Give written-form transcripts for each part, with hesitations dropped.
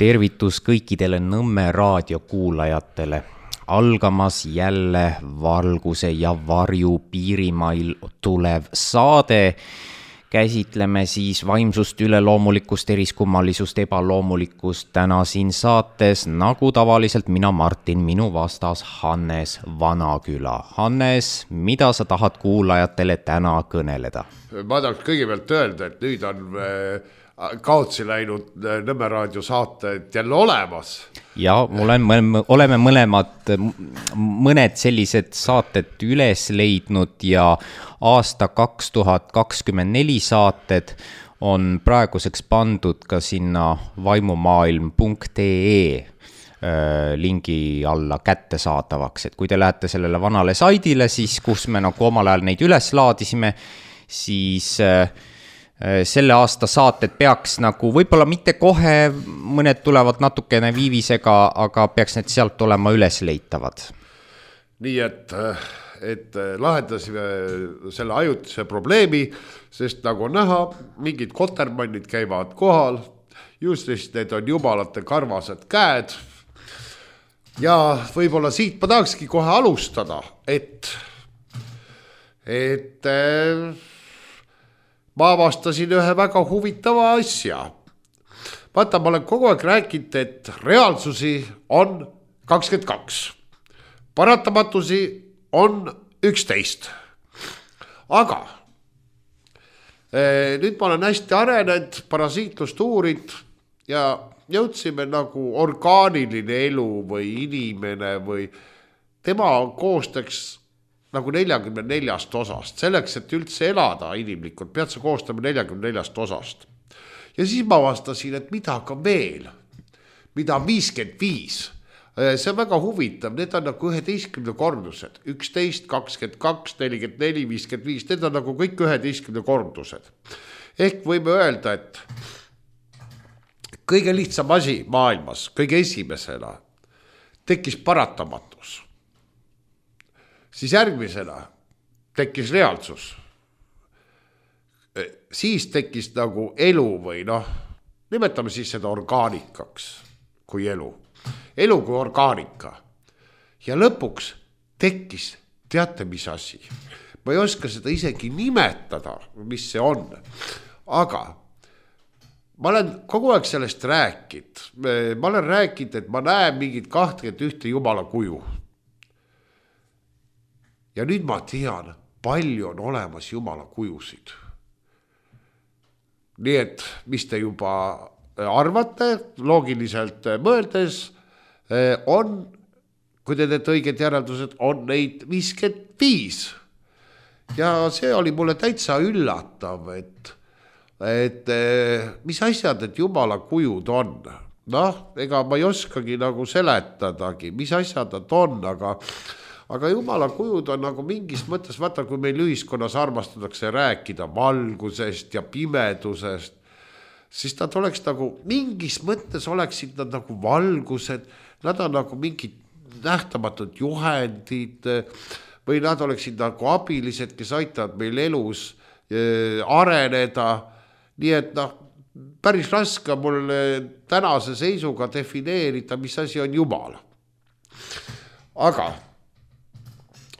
tervitus kõikidele Nõmme raadio kuulajatele. Algamas jälle valguse ja varju piirimail tulev saade. Käsitleme siis vaimsust, üleloomulikkust, eriskummalisust, ebaloomulikkust täna siin saates, nagu tavaliselt mina, Martin, minu vastas Hannes Vanaküla. Hannes, mida sa tahad kuulajatele täna kõneleda? Ma tahaks kõigepealt öelda, et nüüd on kaotsi läinud Nõmme raadio saated jälle olemas. Ja oleme mõned sellised saated üles leidnud ja aasta 2024 saated on praeguseks pandud ka sinna vaimumaailm.ee lingi alla kättesaadavaks. Et kui te lähete sellele vanale saidile, siis kus me nagu omal ajal neid üles laadisime, siis selle aasta saated peaks nagu, võib-olla mitte kohe, mõned tulevad natukene viivisega, aga peaks need sealt olema üles leitavad. Nii et lahendasime selle ajutise probleemi, sest nagu näha, mingid kotermannid käivad kohal, just need on jumalate karvased käed. Ja võib-olla siit ma tahakski kohe alustada, et ma avastasin ühe väga huvitava asja. Vaata, ma olen kogu aeg rääkinud, et reaalsusi on 22. Paratamatusi on 11. Aga nüüd ma olen hästi arenenud, parasiitlust uurid ja jõudsime nagu orgaaniline elu või inimene või tema koostaks nagu 44 osast. Selleks, et üldse elada inimlikult, pead sa koostama 44 osast. Ja siis ma vastasin, et mida ka veel, mida 55. See on väga huvitav, need on nagu 11 kordused. 11, 22, 44, 55, need on nagu kõik 11 kordused. Ehk võime öelda, et kõige lihtsam asi maailmas, kõige esimesena tekkis paratamatus. Siis järgmisena tekkis reaalsus. Siis tekkis nagu elu või nimetame siis seda orgaanikaks kui elu. Elu kui orgaanika. Ja lõpuks tekkis, teate mis asi. Ma ei oska seda isegi nimetada, mis see on. Aga ma olen kogu aeg sellest rääkinud. Ma olen rääkinud, et ma näen mingid 21 jumala kuju. Ja nüüd ma tean, palju on olemas jumala kujusid. Nii et, mis te juba arvate, loogiliselt mõeldes, on, kui te teete õiged järeldused, on neid 55. Ja see oli mulle täitsa üllatav, et mis asjad, et jumala kujud on. Ega ma ei oskagi nagu seletadagi, mis asjad nad on, aga jumala kujud on nagu mingis mõttes, vaata, kui meil ühiskonnas armastatakse rääkida valgusest ja pimedusest, siis nad oleks nagu, mingis mõttes oleksid nad nagu valgused, nad on nagu mingid nähtamatud juhendid või nad oleksid nagu abilised, kes aitavad meil elus areneda. Nii et päris raske mul tänase seisuga defineerida, mis asi on Jumal. Aga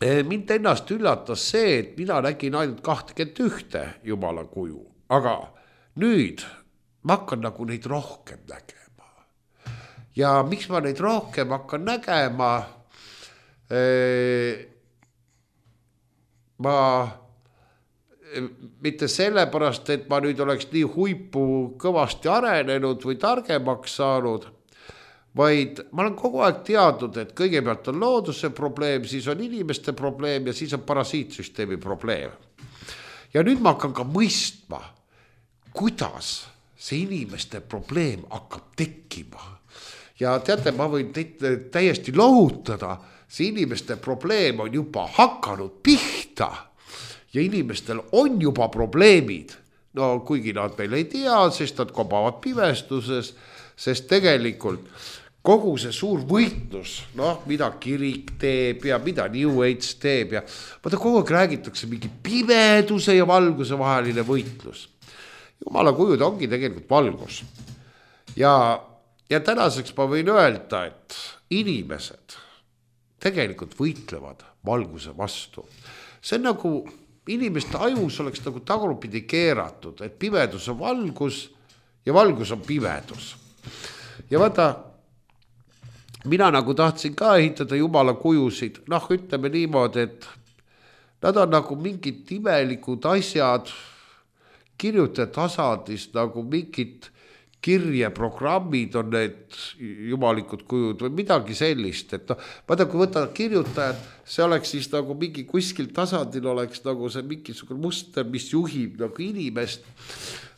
mind ennast üllatas see, et mina nägin ainult 21 jumala kuju, aga nüüd ma hakkan nagu neid rohkem nägema. Ja miks ma neid rohkem hakkan nägema? Ma mitte sellepärast, et ma nüüd oleks nii huipu kõvasti arenenud või targemaks saanud, vaid ma olen kogu aeg teadnud, et kõigepealt on looduse probleem, siis on inimeste probleem ja siis on parasiitsüsteemi probleem. Ja nüüd ma hakkan ka mõistma, kuidas see inimeste probleem hakkab tekkima. Ja teate, ma võin täiesti lohutada, see inimeste probleem on juba hakanud pihta ja inimestel on juba probleemid. No kuigi nad veel ei tea, sest nad kobavad pimestuses, sest tegelikult kogu see suur võitlus, mida kirik teeb ja mida New Age teeb ja vaata kogu aeg räägitakse mingi pimeduse ja valguse vaheline võitlus. Jumala kujud ongi tegelikult valgus. Ja ja tänaseks ma võin öelda, et inimesed tegelikult võitlevad valguse vastu. See on nagu inimeste ajus oleks nagu tagurpidi keeratud, et pimedus on valgus ja valgus on pimedus. Ja vaata, mina nagu tahtsin ka ehitada jumala kujusid, ütleme niimoodi, et nad on nagu mingid imelikud asjad, kirjutajad tasandis nagu mingid kirjeprogrammid on need jumalikud kujud või midagi sellist, et vaata, kui võtta kirjutajad, see oleks siis nagu mingi kuskil tasandil oleks nagu see mingisugune muster, mis juhib nagu inimest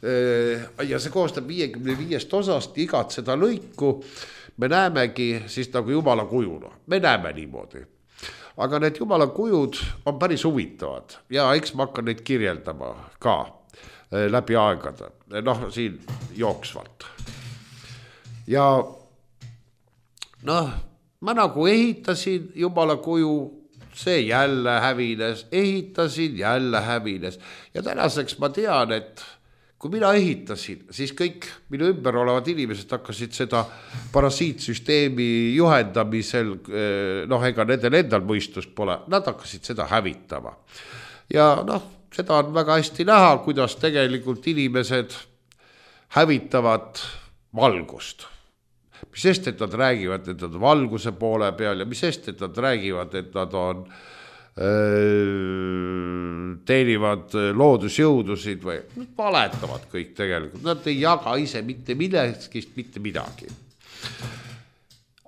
ja see koostab 55 osast, igat seda lõiku me näemegi siis nagu jumala kujuna, me näeme niimoodi. Aga need jumala kujud on päris huvitavad ja eks ma hakkan neid kirjeldama ka läbi aegade, siin jooksvalt. Ja ma nagu ehitasin jumala kuju, see jälle hävines, ehitasin, jälle hävines ja tänaseks ma tean, et kui mina ehitasin, siis kõik minu ümber olevad inimesed hakkasid seda parasiitsüsteemi juhendamisel, ega nendel endal mõistust pole, nad hakkasid seda hävitama. Ja seda on väga hästi näha, kuidas tegelikult inimesed hävitavad valgust. Mis sest, et nad räägivad, et nad on valguse poole peal ja mis sest, et nad räägivad, et nad on teenivad loodusjõudusid või nad valetavad kõik tegelikult, nad ei jaga ise mitte millestki, mitte midagi.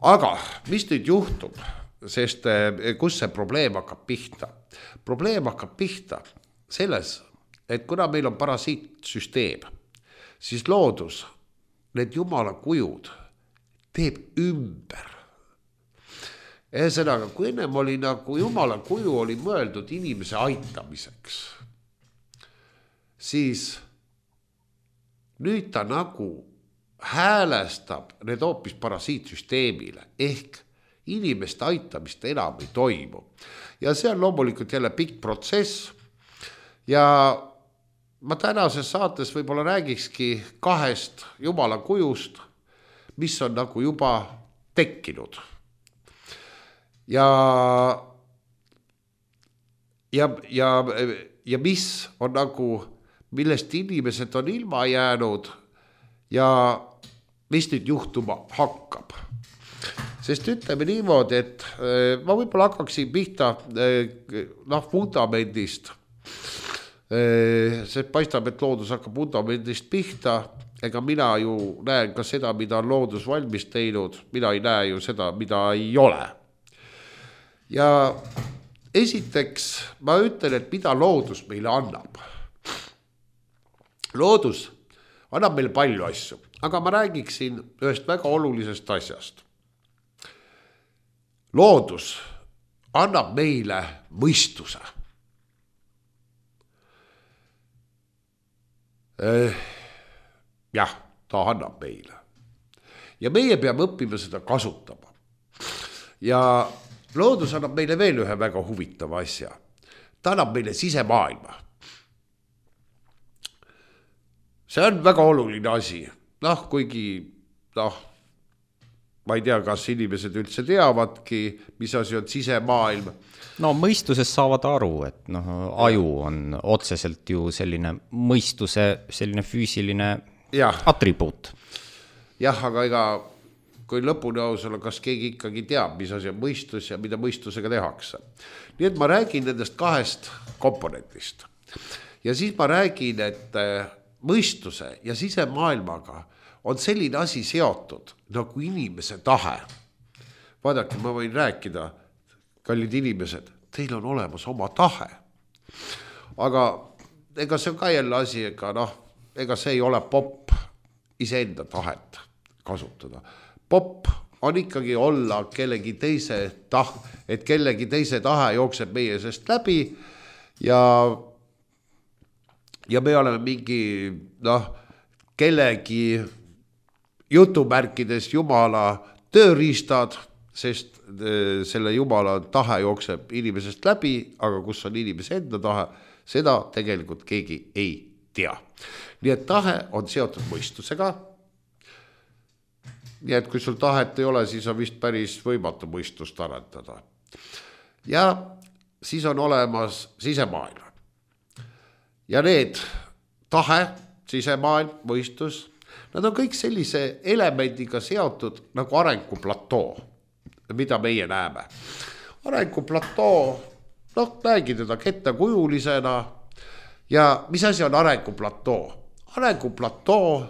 Aga mis nüüd juhtub, sest kus see probleem hakkab pihta? Probleem hakkab pihta selles, et kuna meil on parasiitsüsteem, siis loodus, need jumala kujud teeb ümber. Ühesõnaga, kui ennem oli nagu jumala kuju oli mõeldud inimese aitamiseks, siis nüüd ta nagu häälestab need hoopis parasiitsüsteemile ehk inimeste aitamist enam ei toimu. Ja see on loomulikult jälle pikk protsess ja ma tänases saates võib-olla räägikski 2 jumala kujust, mis on nagu juba tekkinud. Ja mis on nagu, millest inimesed on ilma jäänud ja mis nüüd juhtuma hakkab. Sest ütleme niimoodi, et ma võib-olla hakkaksin pihta vundamendist. See paistab, et loodus hakkab vundamendist pihta, ega mina ju näen ka seda, mida on loodus valmis teinud, mina ei näe ju seda, mida ei ole. Ja esiteks ma ütlen, et mida loodus meile annab. Loodus annab meile palju asju, aga ma räägiksin ühest väga olulisest asjast. Loodus annab meile mõistuse. Jah, ta annab meile. Ja meie peame õppima seda kasutama. Ja loodus annab meile veel ühe väga huvitava asja. Ta annab meile sisemaailma. See on väga oluline asi. Kuigi, ma ei tea, kas inimesed üldse teavadki, mis asi on sisemaailm. Mõistuses saavad aru, et aju on otseselt ju selline mõistuse, selline füüsiline atribuut. Jah, aga ega kui lõpuni aus olla, kas keegi ikkagi teab, mis asi on mõistus ja mida mõistusega tehakse. Nii et ma räägin nendest 2 komponentist. Ja siis ma räägin, et mõistuse ja sisemaailmaga on selline asi seotud nagu inimese tahe. Vaadake, ma võin rääkida, kallid inimesed, teil on olemas oma tahe. Aga ega see on ka jälle asi, ega see ei ole popp iseenda tahet kasutada. Popp on ikkagi olla kellegi teise et kellegi teise tahe jookseb meie sest läbi ja me oleme mingi kellegi jutumärkides jumala tööriistad, sest selle jumala tahe jookseb inimesest läbi, aga kus on inimese enda tahe, seda tegelikult keegi ei tea. Nii et tahe on seotud mõistusega. nii et kui sul tahet ei ole, siis on vist päris võimatu mõistust arendada. Ja siis on olemas sisemaailm. Ja need tahe, sisemaailm, mõistus, nad on kõik sellise elemendiga seotud nagu arenguplatoo, mida meie näeme. Arenguplatoo, näegi teda kettakujulisena ja mis asi on arenguplatoo? Arenguplatoo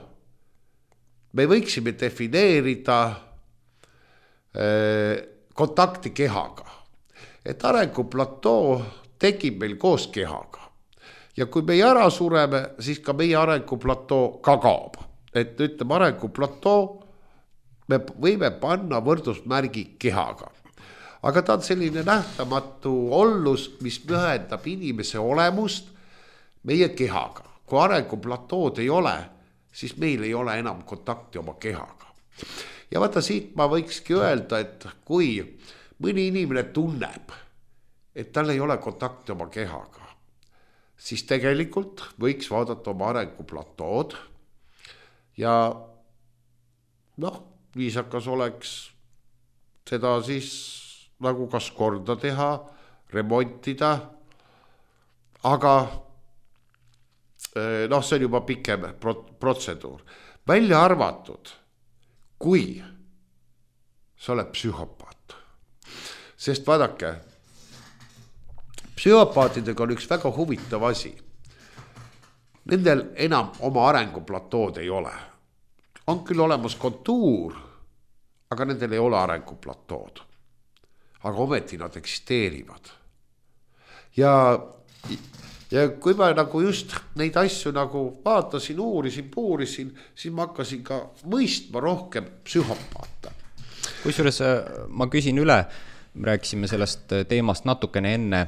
me võiksime defineerida kontakti kehaga. Et arenguplatoo tekib meil koos kehaga. Ja kui meie ära sureme, siis ka meie arenguplatoo ka kaob. Et ütleme arenguplatoo, me võime panna võrdusmärgi kehaga. Aga ta on selline nähtamatu ollus, mis ühendab inimese olemust meie kehaga. Kui arenguplatoood ei ole, siis meil ei ole enam kontakti oma kehaga. Ja vaata siit ma võikski öelda, et kui mõni inimene tunneb, et tal ei ole kontakti oma kehaga, siis tegelikult võiks vaadata oma arenguplatood ja viisakas oleks seda siis nagu kas korda teha, remontida, aga see on juba pikem protseduur. Välja arvatud, kui sa oled psühhopaat. Sest vaadake, psühhopaatidega on üks väga huvitav asi. Nendel enam oma arenguplatood ei ole. On küll olemas kontuur, aga nendel ei ole arenguplatood. Aga ometi nad eksisteerivad. Ja kui ma nagu just neid asju nagu vaatasin, uurisin, puurisin, siis ma hakkasin ka mõistma rohkem psühhopaata. Kusjuures ma küsin üle, rääkisime sellest teemast natukene enne,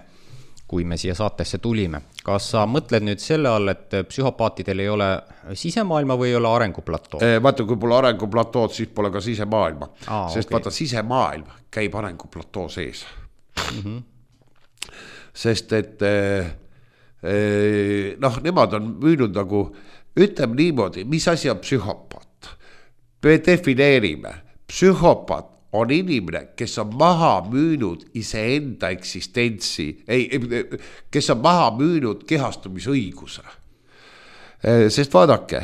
kui me siia saatesse tulime. Kas sa mõtled nüüd selle all, et psühhopaatidel ei ole sisemaailma või ei ole arenguplatoo? Vaata, kui pole arenguplatood, siis pole ka sisemaailma. Sest vaata, sisemaailm käib arenguplatoo sees. Sest et nemad on müünud nagu, ütleme niimoodi, mis asi on psühhopaat? Me defineerime, psühhopaat on inimene, kes on maha müünud iseenda eksistentsi, kes on maha müünud kehastumisõiguse. Sest vaadake,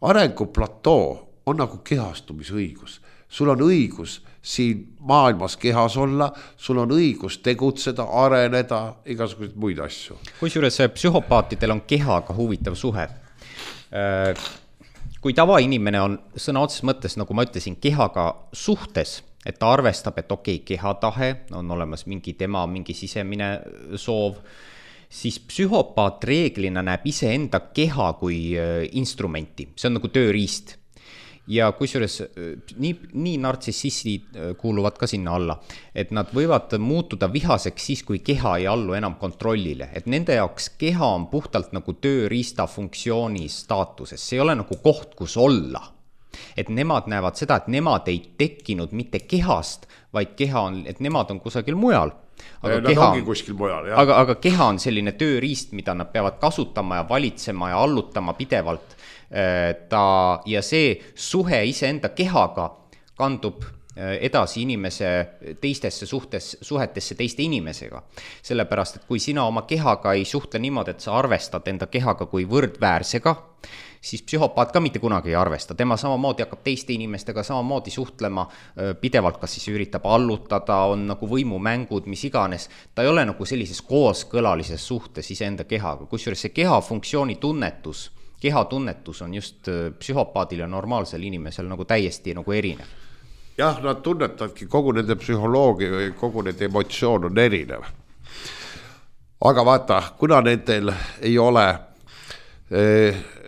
arenguplatoo on nagu kehastumisõigus. Sul on õigus siin maailmas kehas olla, sul on õigus tegutseda, areneda, igasuguseid muid asju. Kusjuures psühhopaatidel on kehaga huvitav suhe. Kui tavainimene on sõna otseses mõttes, nagu ma ütlesin, kehaga suhtes, et ta arvestab, et kehatahe on olemas mingi sisemine soov, siis psühhopaat reeglina näeb iseenda keha kui instrumenti. See on nagu tööriist. Ja kusjuures nii nartsissistid kuuluvad ka sinna alla, et nad võivad muutuda vihaseks siis, kui keha ei allu enam kontrollile. Et nende jaoks keha on puhtalt nagu tööriista funktsiooni staatuses. See ei ole nagu koht, kus olla. Et nemad näevad seda, et nemad ei tekkinud mitte kehast, vaid keha on, et nemad on kusagil mujal. Aga keha on selline tööriist, mida nad peavad kasutama ja valitsema ja allutama pidevalt. Ja see suhe iseenda kehaga kandub edasi inimese teistesse suhetesse teiste inimesega. Sellepärast, et kui sina oma kehaga ei suhtle niimoodi, et sa arvestad enda kehaga kui võrdväärsega, siis psühhopaat ka mitte kunagi ei arvesta. Tema samamoodi hakkab teiste inimestega samamoodi suhtlema pidevalt, kas siis üritab allutada, on nagu võimumängud, mis iganes. Ta ei ole nagu sellises kooskõlalises suhtes iseenda kehaga. Kusjuures see keha funktsiooni tunnetus, kehatunnetus on just psühhopaadil ja normaalsel inimesel nagu täiesti nagu erinev. Jah, nad tunnetavadki kogu nende psühholoogia või kogu nende emotsioon on erinev. Aga vaata, kuna nendel ei ole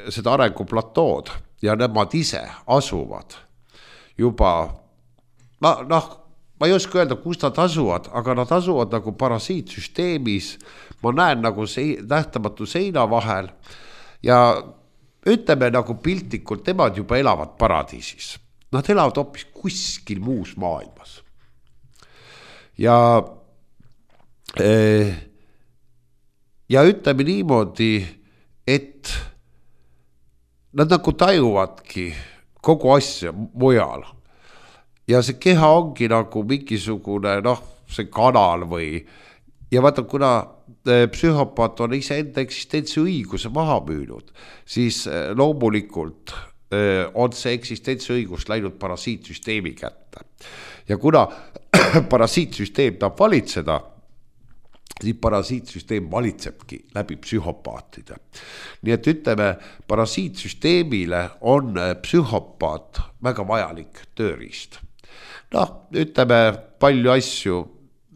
seda arenguplatood ja nemad ise asuvad juba, ma ei oska öelda, kus nad asuvad, aga nad asuvad nagu parasiitsüsteemis, ma näen nagu nähtamatu seina vahel ja ütleme nagu piltlikult, nemad juba elavad paradiisis. Nad elavad hoopis kuskil muus maailmas. Ja ütleme niimoodi, et nad nagu tajuvadki kogu asja mujal. ja see keha ongi nagu mingisugune see kanal või ja vaata, kuna psühhopaat on iseenda eksistentsi õiguse maha müünud, siis loomulikult on see eksistentsi õigus läinud parasiitsüsteemi kätte. Ja kuna parasiitsüsteem tahab valitseda, siis parasiitsüsteem valitsebki läbi psühhopaatide. Nii et ütleme, parasiitsüsteemile on psühhopaat väga vajalik tööriist. Ütleme palju asju,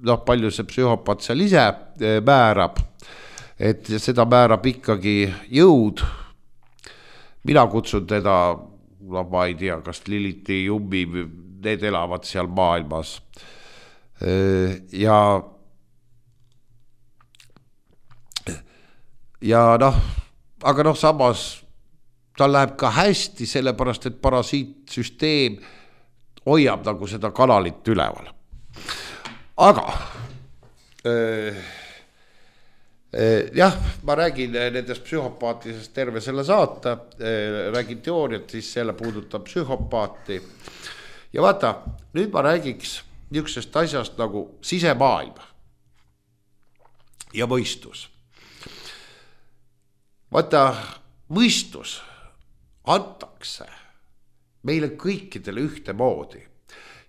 palju see psühhopaat seal ise määrab, et seda määrab ikkagi jõud. Mina kutsun teda, ma ei tea, kas Liliti, Jummi, need elavad seal maailmas. Aga samas tal läheb ka hästi, sellepärast, et parasiitsüsteem hoiab nagu seda kanalit üleval. Aga jah, ma räägin nendest psühhopaatidest terve selle saate, räägin teooriat, siis selle puudutab psühhopaati. Ja vaata, nüüd ma räägiks niisugusest asjast nagu sisemaailm ja mõistus. Vaata, mõistus antakse meile kõikidele ühte moodi.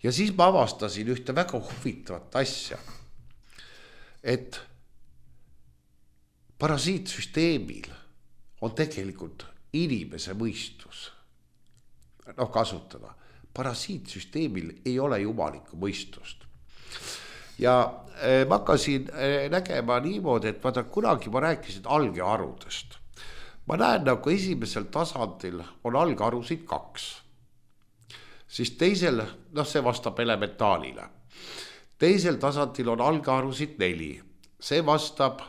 Ja siis ma avastasin ühte väga huvitavat asja, et parasiitsüsteemil on tegelikult inimese mõistus kasutada. Parasiitsüsteemil ei ole jumalikku mõistust. Ja ma hakkasin nägema niimoodi, et vaata, kunagi ma rääkisin algeharudest. Ma näen nagu esimesel tasandil on algharusid 2. Siis teisel, see vastab elementaalile. Teisel tasandil on algharusid 4. See vastab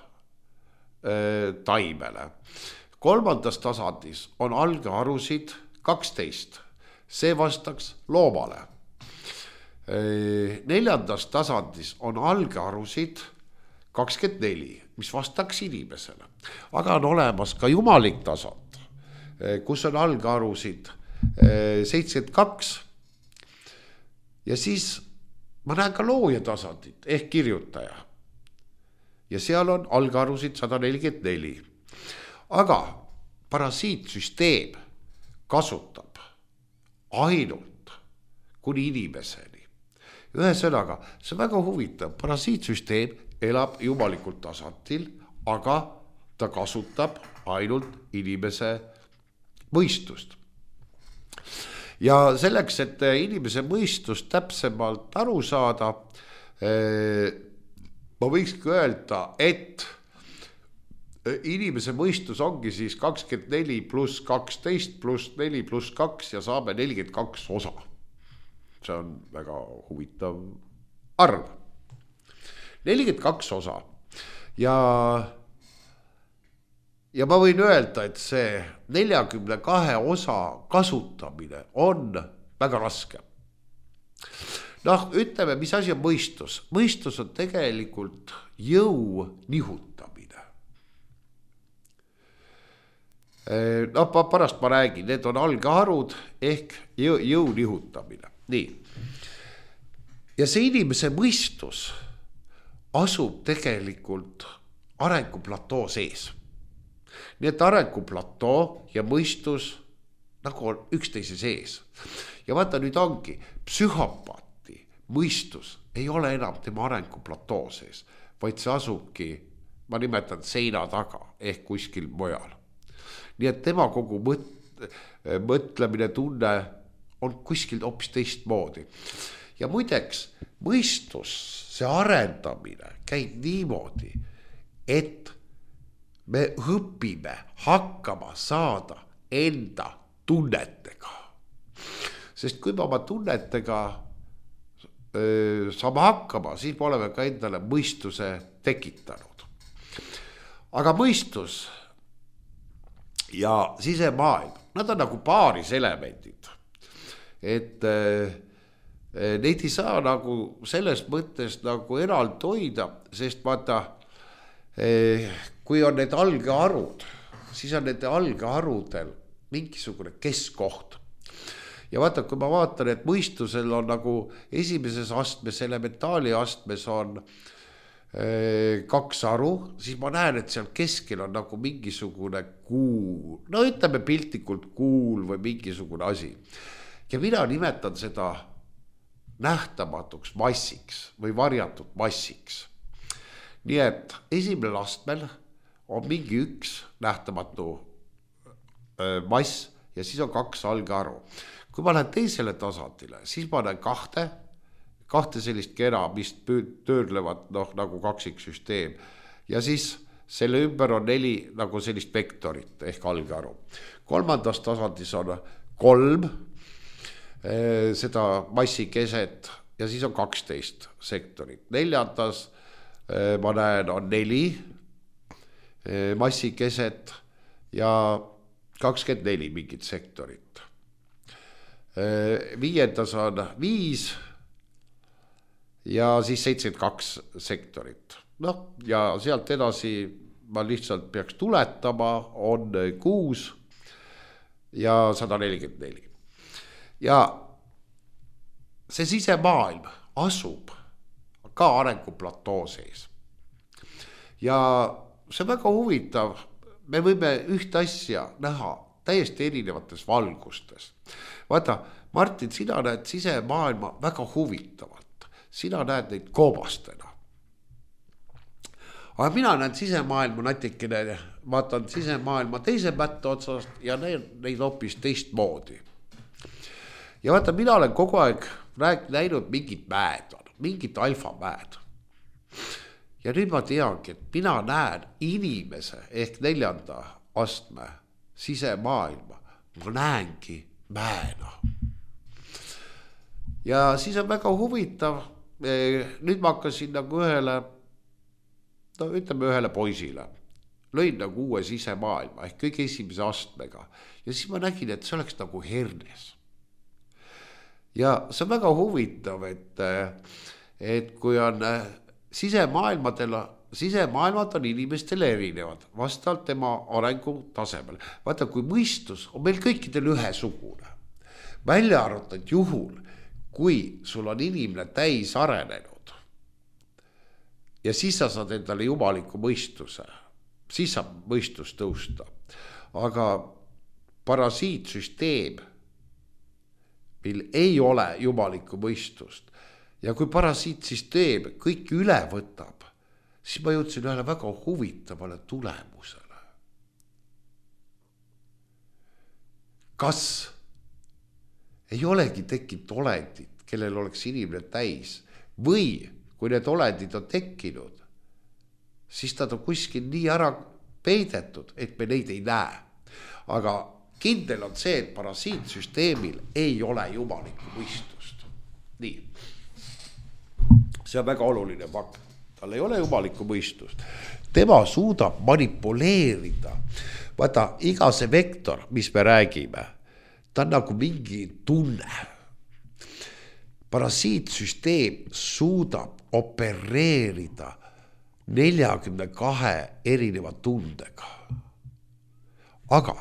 taimele. 3. tasandis on algharusid 12. See vastaks loomale. 4. tasandis on algharusid 24, mis vastaks inimesele. Aga on olemas ka jumalik tasand, kus on algharusid 72. Ja siis ma näen ka looja tasandit ehk kirjutaja. Ja seal on algharusid 144. Aga parasiitsüsteem kasutab ainult kuni inimeseni. Ühesõnaga, see on väga huvitav. Parasiitsüsteem elab jumalikult tasandil, aga ta kasutab ainult inimese mõistust. Ja selleks, et inimese mõistust täpsemalt aru saada, ma võikski öelda, et inimese mõistus ongi siis 24 pluss 12 pluss 4 pluss 2 ja saame 42 osa. See on väga huvitav arv. 42 osa. Ja ma võin öelda, et see 42 osa kasutamine on väga raske. Ütleme, mis asi on mõistus? Mõistus on tegelikult jõu nihutamine. Pärast ma räägin, need on algharud ehk jõu nihutamine. Nii. Ja see inimese mõistus asub tegelikult arenguplatoo sees. Nii et arenguplatoo ja mõistus nagu on üksteise sees. Ja vaata, nüüd ongi psühhopaati mõistus ei ole enam tema arenguplatoo sees, vaid see asubki, ma nimetan seina taga ehk kuskil mujal. Nii et tema kogu mõtlemine, tunne on kuskil hoopis teistmoodi. Ja muideks, mõistus, see arendamine käib niimoodi, et me õpime hakkama saada enda tunnetega. Sest kui me oma tunnetega saame hakkama, siis me oleme ka endale mõistuse tekitanud. Aga mõistus ja sisemaailm, nad on nagu paaris elemendid. Et neid ei saa nagu selles mõttes nagu eraldi hoida, sest vaata, kui on need algeharud, siis on nende algeharudel mingisugune keskkoht. ja vaata, kui ma vaatan, et mõistusel on nagu esimeses astmes, elementaali astmes on 2 aru, siis ma näen, et seal keskel on nagu mingisugune kuul, no ütleme piltlikult kuul või mingisugune asi. Ja mina nimetan seda nähtamatuks massiks või varjatud massiks. Nii et esimene astmel on mingi üks nähtamatu mass ja siis on 2 algaru. Kui ma lähen teisele tasandile, siis ma näen kahte sellist kera, mis töödlevad nagu kaksiksüsteem ja siis selle ümber on 4 nagu sellist vektorit ehk algaru. Kolmandas tasandis on 3 seda massi keset ja siis on 12 sektorit. Neljandas ma näen on 4 massi keset ja 24 mingit sektorit. Viiendas on 5 ja siis 72 sektorit. Ja sealt edasi ma lihtsalt peaks tuletama, on 6 ja 144. Ja see sisemaailm asub ka arenguplatoo sees. Ja see on väga huvitav, me võime üht asja näha täiesti erinevates valgustes. Vaata, Martin, sina näed sisemaailma väga huvitavalt. Sina näed neid koobastena. Aga mina näen sisemaailma natikene, vaatan sisemaailma teise mätte otsast ja neid hoopis teistmoodi. Ja vaata, mina olen kogu aeg näinud mingit mäed, mingit alfamäed. Ja nüüd ma teangi, et mina näen inimese ehk 4. astme sisemaailma. Ma näengi mäena. Ja siis on väga huvitav, nüüd ma hakkasin nagu ühele poisile. Lõin nagu uue sisemaailma ehk kõige esimese astmega. Ja siis ma nägin, et see oleks nagu hernes. Ja see on väga huvitav, et kui on sisemaailmad on inimestele erinevad, vastavalt tema arengu tasemel. Vaata, kui mõistus on meil kõikidel ühesugune, välja arvatud juhul, kui sul on inimene täis arenenud ja siis sa saad endale jumaliku mõistuse, siis saab mõistus tõusta. Aga parasiitsüsteem, mil ei ole jumalikku mõistust ja kui parasiitsüsteem kõik üle võtab, siis ma jõudsin ühele väga huvitavale tulemusele. Kas ei olegi tekkinud olendid, kellel oleks inimene täis, või kui need olendid on tekkinud, siis nad on kuskil nii ära peidetud, et me neid ei näe. Aga kindel on see, et parasiitsüsteemil ei ole jumalikku mõistust. Nii. See on väga oluline fakt. Tal ei ole jumalikku mõistust. Tema suudab manipuleerida. Vaata, iga see vektor, mis me räägime, ta on nagu mingi tunne. Parasiitsüsteem suudab opereerida 42 erineva tundega. Aga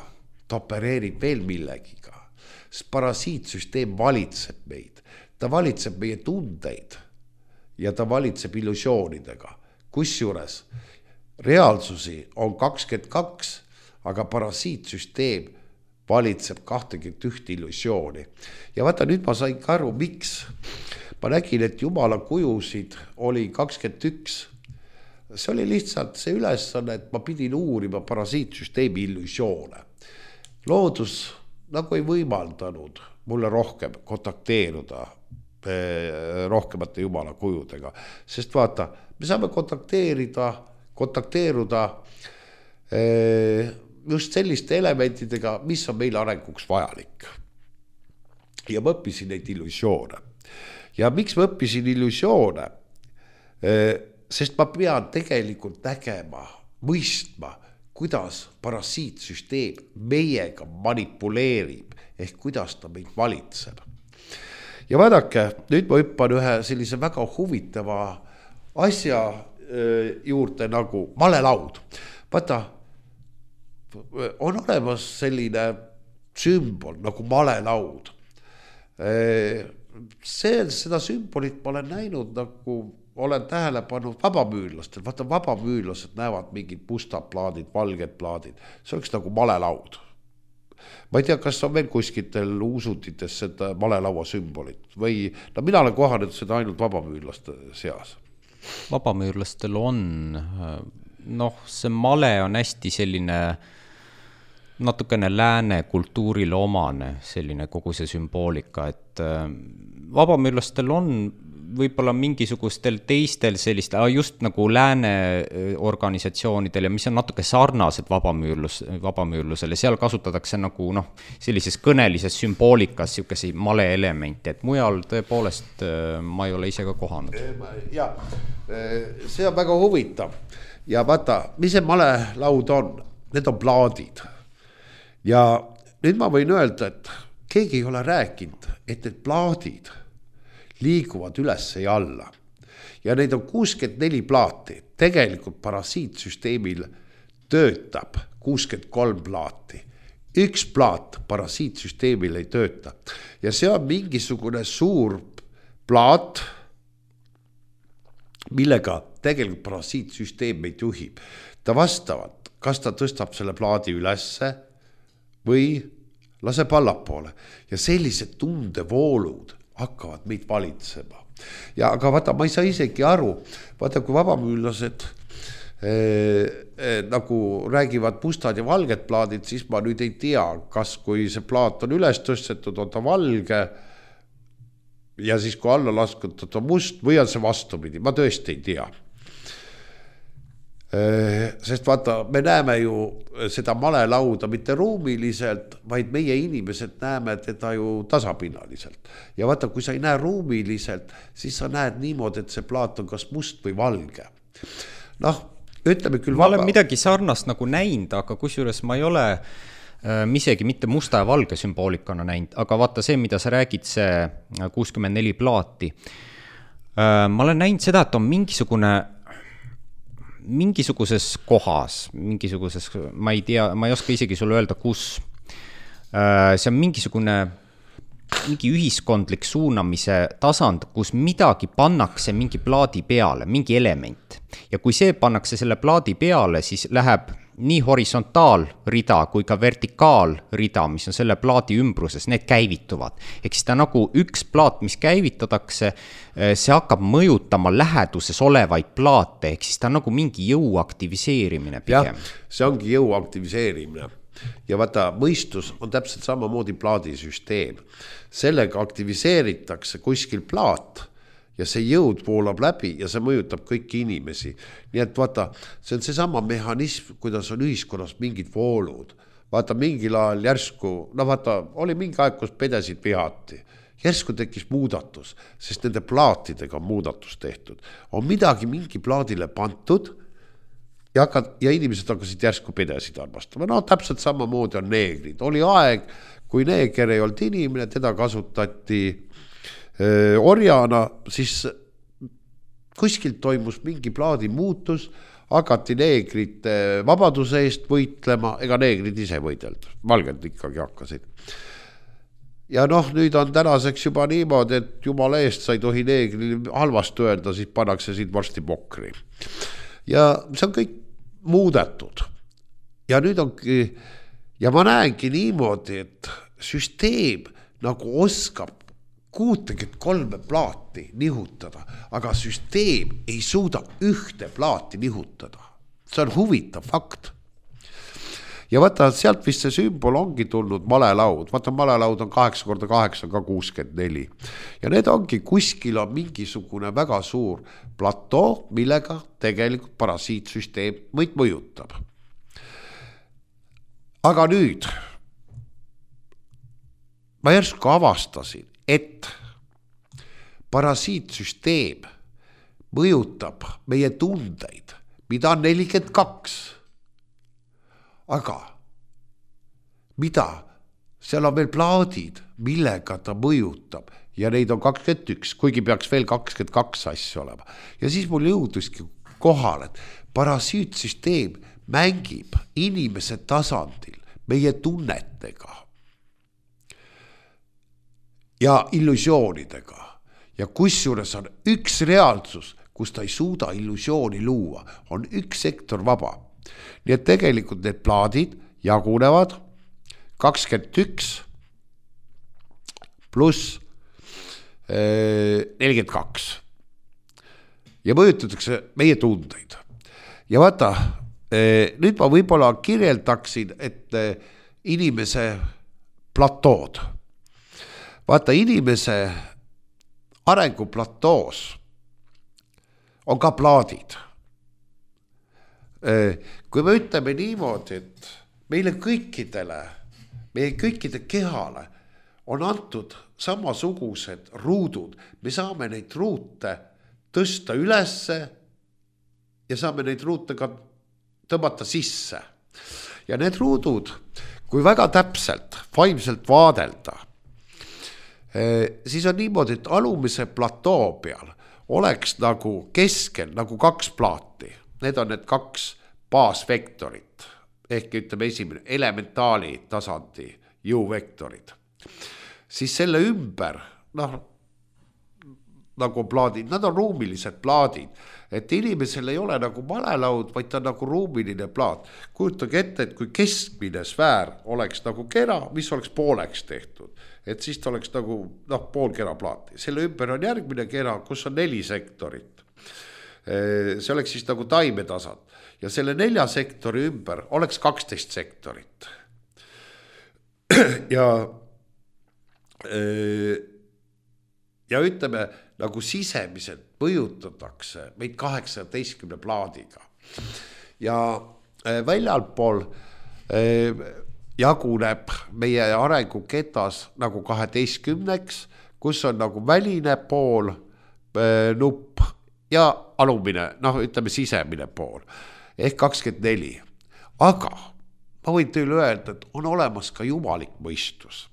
ta opereerib veel millegiga. Parasiitsüsteem valitseb meid. Ta valitseb meie tundeid ja ta valitseb illusioonidega. Kusjuures reaalsusi on 22, aga parasiitsüsteem valitseb 21 illusiooni. Ja vaata, nüüd ma sain ka aru, miks. Ma nägin, et jumala kujusid oli 21. See oli lihtsalt see ülesanne, et ma pidin uurima parasiitsüsteemi illusioone. Loodus nagu ei võimaldanud mulle rohkem kontakteeruda rohkemate jumala kujudega. Sest vaata, me saame kontakteeruda just selliste elementidega, mis on meil arenguks vajalik. Ja ma õppisin neid illusioone. Ja miks ma õppisin illusioone? Sest ma pean tegelikult nägema, mõistma, kuidas parasiitsüsteem meiega manipuleerib ehk kuidas ta meid valitseb. Ja vaadake, nüüd ma hüppan ühe sellise väga huvitava asja juurde nagu malelaud. Vaata, on olemas selline sümbol nagu malelaud. Seda sümbolit ma olen näinud, nagu olen tähele pannud vabamüürlastel. Vaata, vabamüürlased näevad mingid mustad plaadid, valged plaadid. See oleks nagu malelaud. Ma ei tea, kas on veel kuskitel uusutites seda malelaua sümbolit või mina olen kohanud seda ainult vabamüürlaste seas. Vabamüürlastel on, see male on hästi selline natukene lääne kultuurile omane, selline kogu see sümboolika, et vabamüürlastel on võib-olla mingisugustel teistel sellist, just nagu lääne organisatsioonidel ja mis on natuke sarnased vabamüürlusele, seal kasutatakse nagu sellises kõnelises sümboolikas siukesi male elemente, et mujal tõepoolest ma ei ole ise ka kohanud. Ja, see on väga huvitav ja vaata, mis see malelaud on? Need on plaadid ja nüüd ma võin öelda, et keegi ei ole rääkinud, et need plaadid liiguvad üles ja alla. Ja neid on 64 plaati. Tegelikult parasiitsüsteemil töötab 63 plaati. Üks plaat parasiitsüsteemil ei tööta. Ja see on mingisugune suur plaat, millega tegelikult parasiitsüsteem meid juhib. Ta vastavalt, kas ta tõstab selle plaadi ülesse või laseb allapoole. Ja sellised tundevoolud hakkavad meid valitsema. Ja aga vaata, ma ei saa isegi aru, vaata kui vabamüürlased nagu räägivad mustad ja valged plaadid, siis ma nüüd ei tea, kas kui see plaat on üles tõstetud, on ta valge ja siis kui alla laskutud on must või on see vastupidi, ma tõesti ei tea. Sest vaata, me näeme ju seda malelauda mitte ruumiliselt, vaid meie inimesed näeme teda ju tasapinnaliselt. Ja vaata, kui sa ei näe ruumiliselt, siis sa näed niimoodi, et see plaat on kas must või valge. Ütleme küll ma olen midagi sarnast nagu näinud, aga kusjuures ma ei ole isegi mitte musta ja valge sümboolikana näinud, aga vaata see, mida sa räägid, see 64 plaati. Ma olen näinud seda, et on mingisuguses kohas, ma ei tea, ma ei oska isegi sulle öelda, kus. See on mingi ühiskondlik suunamise tasand, kus midagi pannakse mingi plaadi peale, mingi element. Ja kui see pannakse selle plaadi peale, siis läheb nii horisontaalrida kui ka vertikaalrida, mis on selle plaadi ümbruses, need käivituvad. Ehk siis ta nagu üks plaat, mis käivitatakse, see hakkab mõjutama läheduses olevaid plaate, ehk siis ta on nagu mingi jõu aktiviseerimine pigem. Ja, see ongi jõu aktiviseerimine. Ja vaata, mõistus on täpselt samamoodi plaadisüsteem. Sellega aktiviseeritakse kuskil plaat ja see jõud voolab läbi ja see mõjutab kõiki inimesi. Nii et vaata, see on see sama mehhanism, kuidas on ühiskonnas mingid voolud. Vaata, mingil ajal järsku, oli mingi aeg, kus pedesid vihati. Järsku tekkis muudatus, sest nende plaatidega on muudatus tehtud. On midagi mingi plaadile pantud ja inimesed hakkasid järsku pedesid armastama. Täpselt samamoodi on neegrid. Oli aeg, kui neeger ei olnud inimene, teda kasutati orjana, siis kuskilt toimus mingi plaadi muutus, hakati neegrite vabaduse eest võitlema, ega neegrid ise võidelda, valged ikkagi hakkasid. Ja nüüd on tänaseks juba niimoodi, et jumala eest sa ei tohi neegri halvast öelda, siis pannakse siit varsti pokri. Ja see on kõik muudetud. Ja nüüd ongi, ja ma näengi niimoodi, et süsteem nagu oskab 63 plaati nihutada, aga süsteem ei suuda ühte plaati nihutada. See on huvitav fakt. Ja vaata, sealt vist see sümbol ongi tulnud malelaud. Vaata, malelaud on 8x8 ka 64. Ja need ongi kuskil on mingisugune väga suur platoo, millega tegelikult parasiitsüsteem meid mõjutab. Aga nüüd ma järsku avastasin, et parasiitsüsteem mõjutab meie tundeid, mida on 42. Aga mida? Seal on veel plaadid, millega ta mõjutab ja neid on 21, kuigi peaks veel 22 asju olema. Ja siis mul jõuduski kohal, et parasiitsüsteem mängib inimese tasandil meie tunnetega. ja illusioonidega. Ja kusjuures on üks reaalsus, kus ta ei suuda illusiooni luua, on üks sektor vaba. Nii et tegelikult need plaadid jagunevad 21 pluss 42 ja mõjutatakse meie tundeid. Ja vaata, nüüd ma võib-olla kirjeldaksin, et inimese platood. Vaata, inimese arenguplatoos on ka plaadid. Kui me ütleme niimoodi, et meie kõikide kehale on antud samasugused ruudud, me saame neid ruute tõsta ülesse ja saame neid ruute ka tõmmata sisse. Ja need ruudud, kui väga täpselt, vaimselt vaadelda, siis on niimoodi, et alumise platoo peal oleks nagu keskel nagu 2 plaati. Need on need 2 baasvektorit, ehk ütleme esimene elementaali tasandi jõuvektorid. Siis selle ümber, nagu plaadid, nad on ruumilised plaadid, et inimesel ei ole nagu malelaud, vaid ta on nagu ruumiline plaat. Kujutage ette, et kui keskmine sfäär oleks nagu kera, mis oleks pooleks tehtud, et siis ta oleks nagu pool kera plaati. Selle ümber on järgmine kera, kus on 4 sektorit. See oleks siis nagu taimetasand. Ja selle 4 sektori ümber oleks 12 sektorit. Ja ütleme, nagu sisemiselt mõjutatakse meid 18 plaadiga. Ja väljalpool jaguneb meie arenguketas nagu 12-ks, kus on nagu väline pool nupp ja alumine, ütleme sisemine pool, ehk 24. Aga ma võin teile öelda, et on olemas ka jumalik mõistus.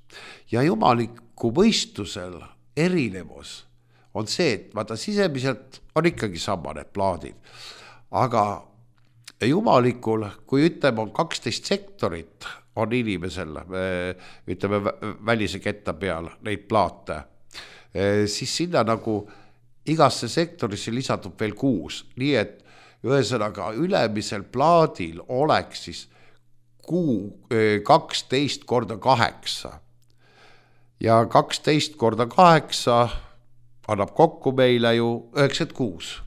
Ja jumaliku mõistusel erinevus on see, et vaata sisemiselt on ikkagi sama need plaadid. Aga jumalikul, kui ütleme on 12 sektorit, on inimesel, ütleme välise ketta peal neid plaate, siis sinna nagu igasse sektorisse lisatub veel 6. Nii et ühesõnaga ülemisel plaadil oleks siis 12 korda 8. Ja 12 korda 8 annab kokku meile ju 96.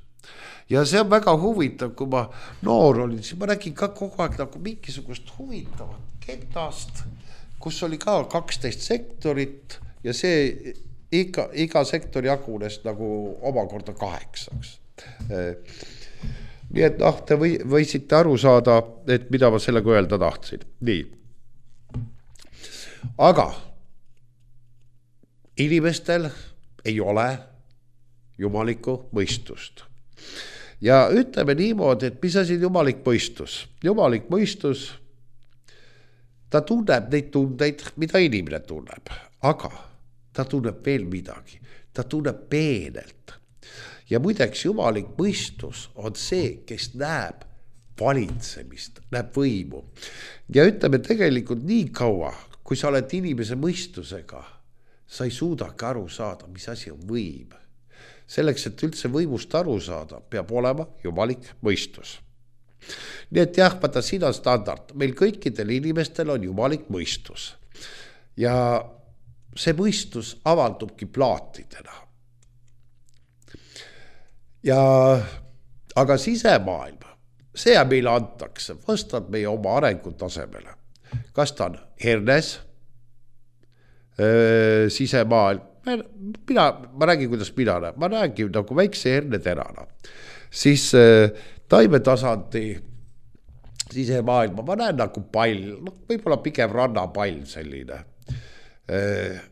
Ja see on väga huvitav, kui ma noor olin, siis ma nägin ka kogu aeg nagu mingisugust huvitavat ketast, kus oli ka 12 sektorit ja see iga sektori jagunes nagu omakorda 8. Nii et te võisite aru saada, et mida ma sellega öelda tahtsin. Nii. Aga inimestel ei ole jumalikku mõistust. Ja ütleme niimoodi, et mis asi on jumalik mõistus? Jumalik mõistus, ta tunneb neid tundeid, mida inimene tunneb, aga ta tunneb veel midagi, ta tunneb peenelt. Ja muideks jumalik mõistus on see, kes näeb valitsemist, näeb võimu. Ja ütleme tegelikult nii kaua, kui sa oled inimese mõistusega, sa ei suudagi aru saada, mis asi on võim. Selleks, et üldse võimust aru saada, peab olema jumalik mõistus. Nii et jah, vaata, siin on standard. Meil kõikidel inimestel on jumalik mõistus. Ja see mõistus avaldubki plaatidena. Aga sisemaailm, see meile antakse vastavalt meie oma arengutasemele. Kas ta on hernes, sisemaailm, ma räägin, kuidas mina näen. Ma räägin nagu väikse herneterana. Siis taimetasandi sisemaailma, ma näen nagu pall, võib-olla pigem rannapall selline.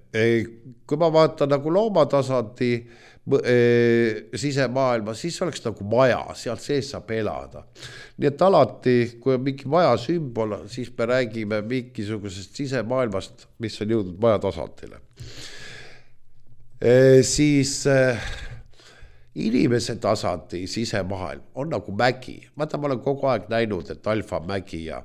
Kui ma vaatan nagu loomatasandi sisemaailma, siis oleks nagu maja, sealt sees saab elada. Nii et alati, kui on mingi maja sümbol, siis me räägime mingisugusest sisemaailmast, mis on jõudnud maja tasandile. Siis inimese tasandi sisemaailm on nagu mägi. Ma olen kogu aeg näinud, et alfa mägi ja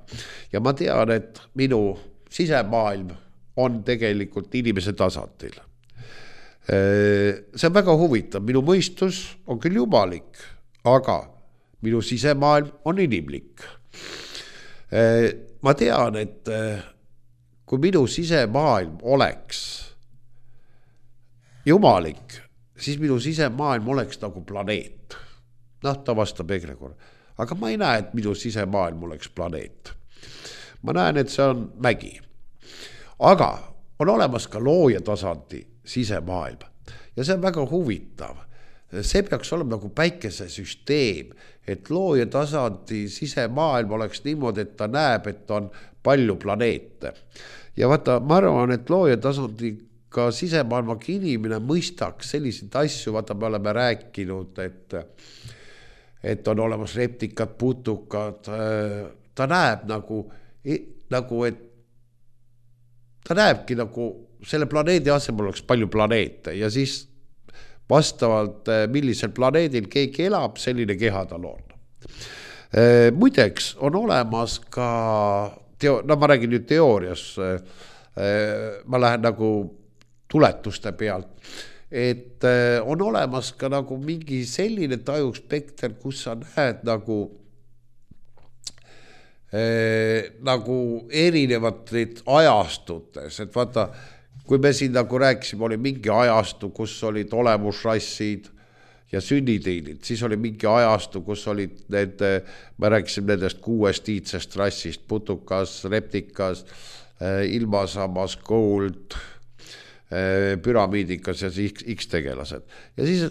ma tean, et minu sisemaailm on tegelikult inimese tasandil. See on väga huvitav, minu mõistus on küll jumalik, aga minu sisemaailm on inimlik. Ma tean, et kui minu sisemaailm oleks jumalik, siis minu sisemaailm oleks nagu planeet. Ta vastab egregor. Aga ma ei näe, et minu sisemaailm oleks planeet. Ma näen, et see on mägi. Aga on olemas ka looja tasandi sisemaailm. Ja see on väga huvitav. See peaks olema nagu päikesesüsteem, et looja tasandi sisemaailm oleks niimoodi, et ta näeb, et on palju planeete. Ja vaata, ma arvan, et looja tasandi ka sisemaailmaga inimene mõistaks selliseid asju, vaata me oleme rääkinud, et on olemas reptikad, putukad, ta näeb nagu, et ta näebki nagu selle planeedi asemel oleks palju planeete ja siis vastavalt millisel planeedil keegi elab, selline keha tal on. Muideks on olemas ka, ma räägin nüüd teoorias, ma lähen nagu tuletuste pealt, et on olemas ka nagu mingi selline tajuspekter, kus sa näed nagu erinevaid ajastutes, et vaata, kui me siin nagu rääkisime, oli mingi ajastu, kus olid olemusrassid ja sünniteilid, siis oli mingi ajastu, kus olid need, me rääkisime nendest 6 iidsest rassist, putukas, reptikas, ilmasamas, gold, püramiidikas ja siis X-tegelased. Ja siis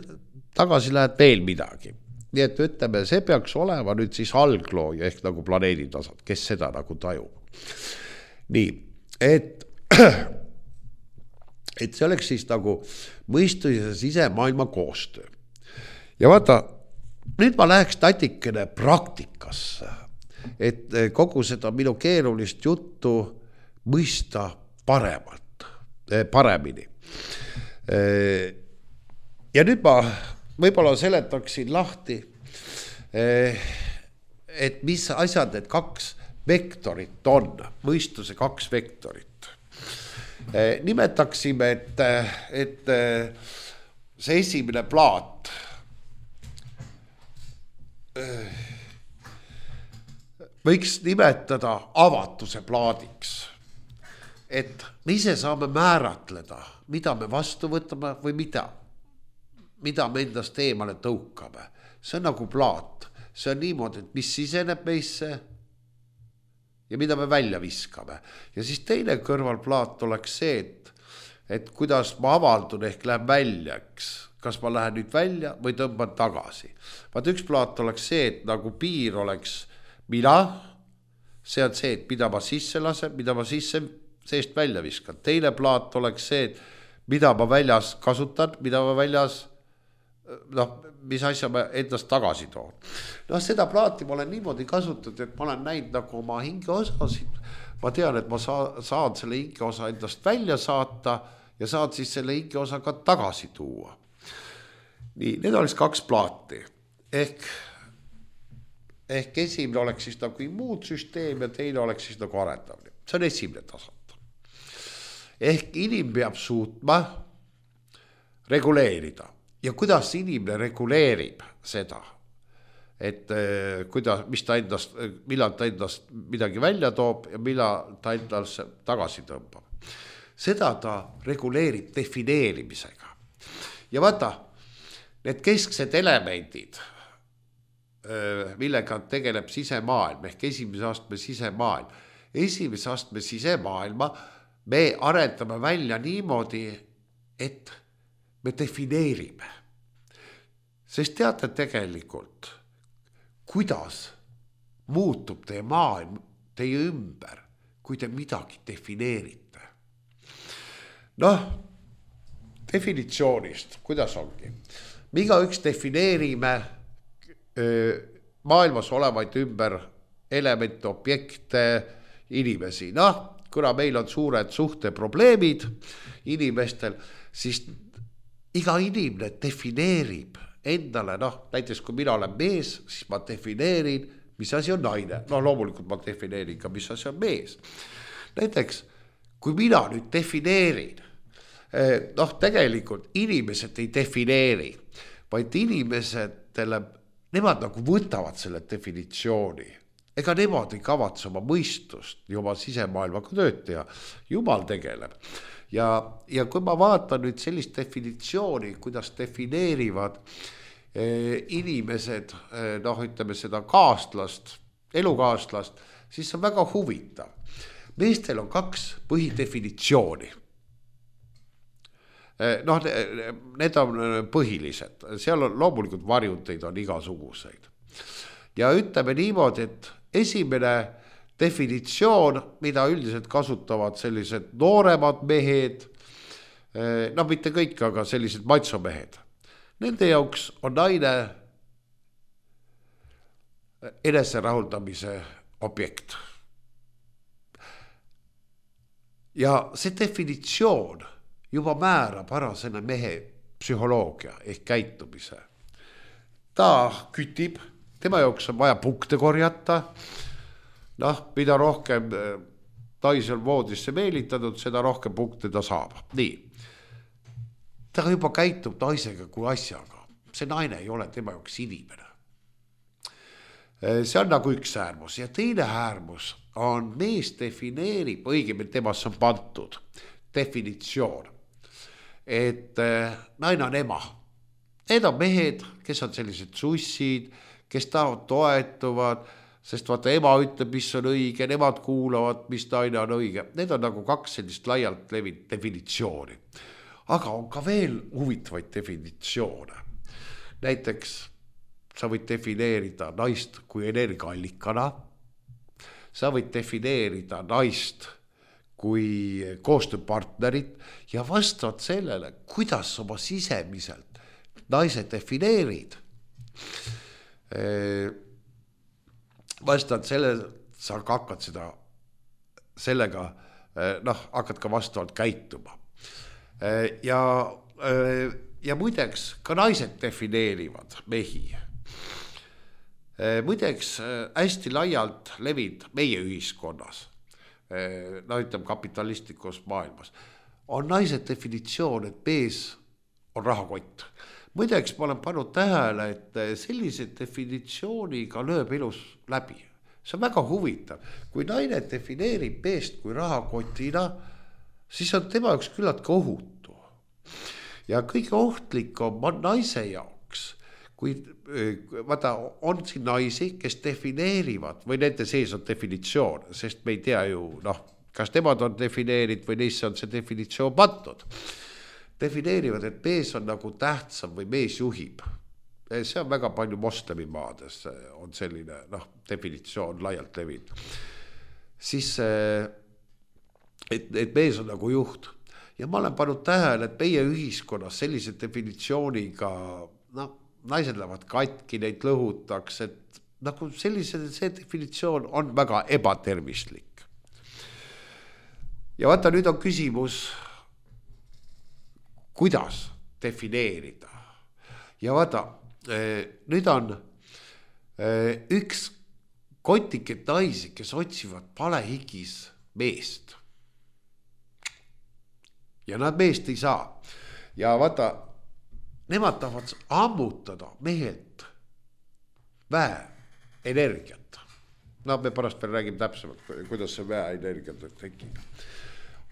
tagasi lähed veel midagi. Nii et ütleme, see peaks olema nüüd siis alglooja ehk nagu planeedi tasand, kes seda nagu tajub. Nii, et see oleks siis nagu mõistus ja sisemaailma koostöö. Ja vaata, nüüd ma läheks natikene praktikasse, et kogu seda minu keerulist juttu mõista paremini. Ja nüüd ma võib-olla seletaksin lahti, et mis asjad need 2 vektorit on, mõistuse 2 vektorit. Nimetaksime, et see esimene plaat võiks nimetada avatuse plaadiks, et me ise saame määratleda, mida me vastu võtame või mida me endast eemale tõukame. See on nagu plaat, see on niimoodi, et mis siseneb meisse ja mida me välja viskame. Ja siis teine kõrvalplaat oleks see, et kuidas ma avaldun ehk lähen välja, kas ma lähen nüüd välja või tõmban tagasi. Vaat üks plaat oleks see, et nagu piir oleks mina, see on see, et mida ma sisse lasen, mida ma seest välja viskan. Teine plaat oleks see, et mida ma väljas kasutan, mida ma väljas, mis asja ma endast tagasi toon. Seda plaati ma olen niimoodi kasutatud, et ma olen näinud nagu oma hingeosasid. Ma tean, et ma saan selle hingeosa endast välja saata ja saan siis selle hingeosa ka tagasi tuua. Nii, need oleks 2 plaati. Ehk esimene oleks siis nagu immuunsüsteem ja teine oleks siis nagu arendamine. See on esimene tasand. Ehk inimene peab suutma reguleerida. Ja kuidas inimene reguleerib seda, et millal ta endast midagi välja toob ja millal ta endast tagasi tõmbab. Seda ta reguleerib defineerimisega. Ja vaata, need kesksed elemendid, millega tegeleb sisemaailm ehk esimese astme sisemaailm. Esimese astme sisemaailma me arendame välja niimoodi, et me defineerime. Sest teate tegelikult, kuidas muutub teie maailm teie ümber, kui te midagi defineerite. Definitsioonist, kuidas ongi? Me igaüks defineerime maailmas olevaid ümber elemente, objekte, inimesi. Kuna meil on suured suhteprobleemid inimestel, siis iga inimene defineerib endale, näiteks kui mina olen mees, siis ma defineerin, mis asi on naine. Loomulikult ma defineerin ka, mis asi on mees. Näiteks, kui mina nüüd defineerin, noh, tegelikult inimesed ei defineeri, vaid inimesetele, nemad nagu võtavad selle definitsiooni. Ega nemad ei kavatse oma mõistust ja oma sisemaailmaga tööd teha. Jumal tegeleb. Ja kui ma vaatan nüüd sellist definitsiooni, kuidas defineerivad inimesed, noh, ütleme seda kaastlast, elukaaslast, siis see on väga huvitav. Meestel on 2 põhidefinitsiooni. Noh, need on põhilised. Seal on loomulikult varjunteid on igasuguseid. Ja ütleme niimoodi, et esimene definitsioon, mida üldiselt kasutavad sellised nooremad mehed, noh, mitte kõik, aga sellised maitsomehed. Nende jaoks on naine eneserahuldamise objekt. Ja see definitsioon juba määrab ära selle mehe psühholoogia ehk käitumise. Ta kütib, tema jaoks on vaja punkte korjata. Noh, mida rohkem naisi on voodisse meelitatud, seda rohkem punkte ta saab. Nii. Ta juba käitub naisega kui asjaga. See naine ei ole tema jaoks inimene. See on nagu üks äärmus. Ja teine äärmus on mees defineerib, õigemini temas on pandud definitsioon, et naine on ema. Need on mehed, kes on sellised sussid, kes toetuvad, sest vaata ema ütleb, mis on õige, nemad kuulavad, mis naine on õige. Need on nagu 2 sellist laialt levinud definitsiooni. Aga on ka veel huvitavaid definitsioone. Näiteks sa võid defineerida naist kui energiaallikana, sa võid defineerida naist kui koostööpartnerit ja vastavalt sellele, kuidas oma sisemiselt naise defineerid. Vastavalt sellele sa hakkad seda sellega, noh, hakkad ka vastavalt käituma. Ja muideks ka naised defineerivad mehi. Muideks hästi laialt levid meie ühiskonnas, no ütleme kapitalistlikus maailmas, on naise definitsioon, et mees on rahakott. Muideks ma olen pannud tähele, et sellise definitsiooniga lööb elus läbi. See on väga huvitav. Kui naine defineerib meest kui rahakotina, siis on tema jaoks küllaltki ohutu. Ja kõige ohtlikum on naise jaoks, kui vaata, on siin naisi, kes defineerivad, või nende sees on definitsioon, sest me ei tea ju, noh, kas nemad on defineerinud või neisse on see definitsioon pandud. Defineerivad, et mees on nagu tähtsam või mees juhib. See on väga palju moslemimaades on selline, noh, definitsioon laialt levinud. Siis, et mees on nagu juht. Ja ma olen pannud tähele, et meie ühiskonnas sellise definitsiooniga, noh, naised lähevad katki, neid lõhutaks, et nagu see definitsioon on väga ebatervislik. Ja vaata, nüüd on küsimus, kuidas defineerida. Ja vaata, nüüd on üks kotiket naisi, kes otsivad palehigis meest. Ja nad meest ei saa. Ja vaata, nemad tahavad ammutada mehelt väeenergiat. No me pärast veel räägime täpsemalt, kuidas see väeenergiat tekib.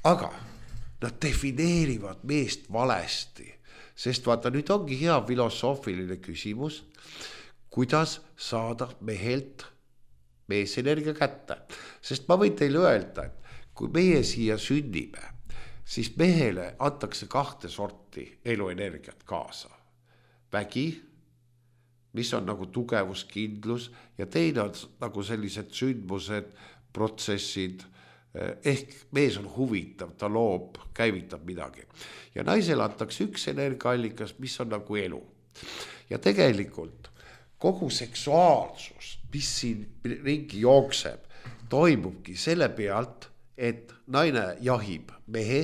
Aga nad defineerivad meest valesti, sest vaata, nüüd ongi hea filosoofiline küsimus, kuidas saada mehelt meesenergia kätte. Sest ma võin teile öelda, et kui meie siia sünnime, siis mehele antakse 2 sorti eluenergiat kaasa. Vägi, mis on nagu tugevuskindlus, ja teine on nagu sellised sündmused, protsessid, ehk mees on huvitav, ta loob, käivitab midagi. Ja naisele antakse üks energiaallikas, mis on nagu elu. Ja tegelikult kogu seksuaalsus, mis siin ringi jookseb, toimubki selle pealt, et naine jahib mehe,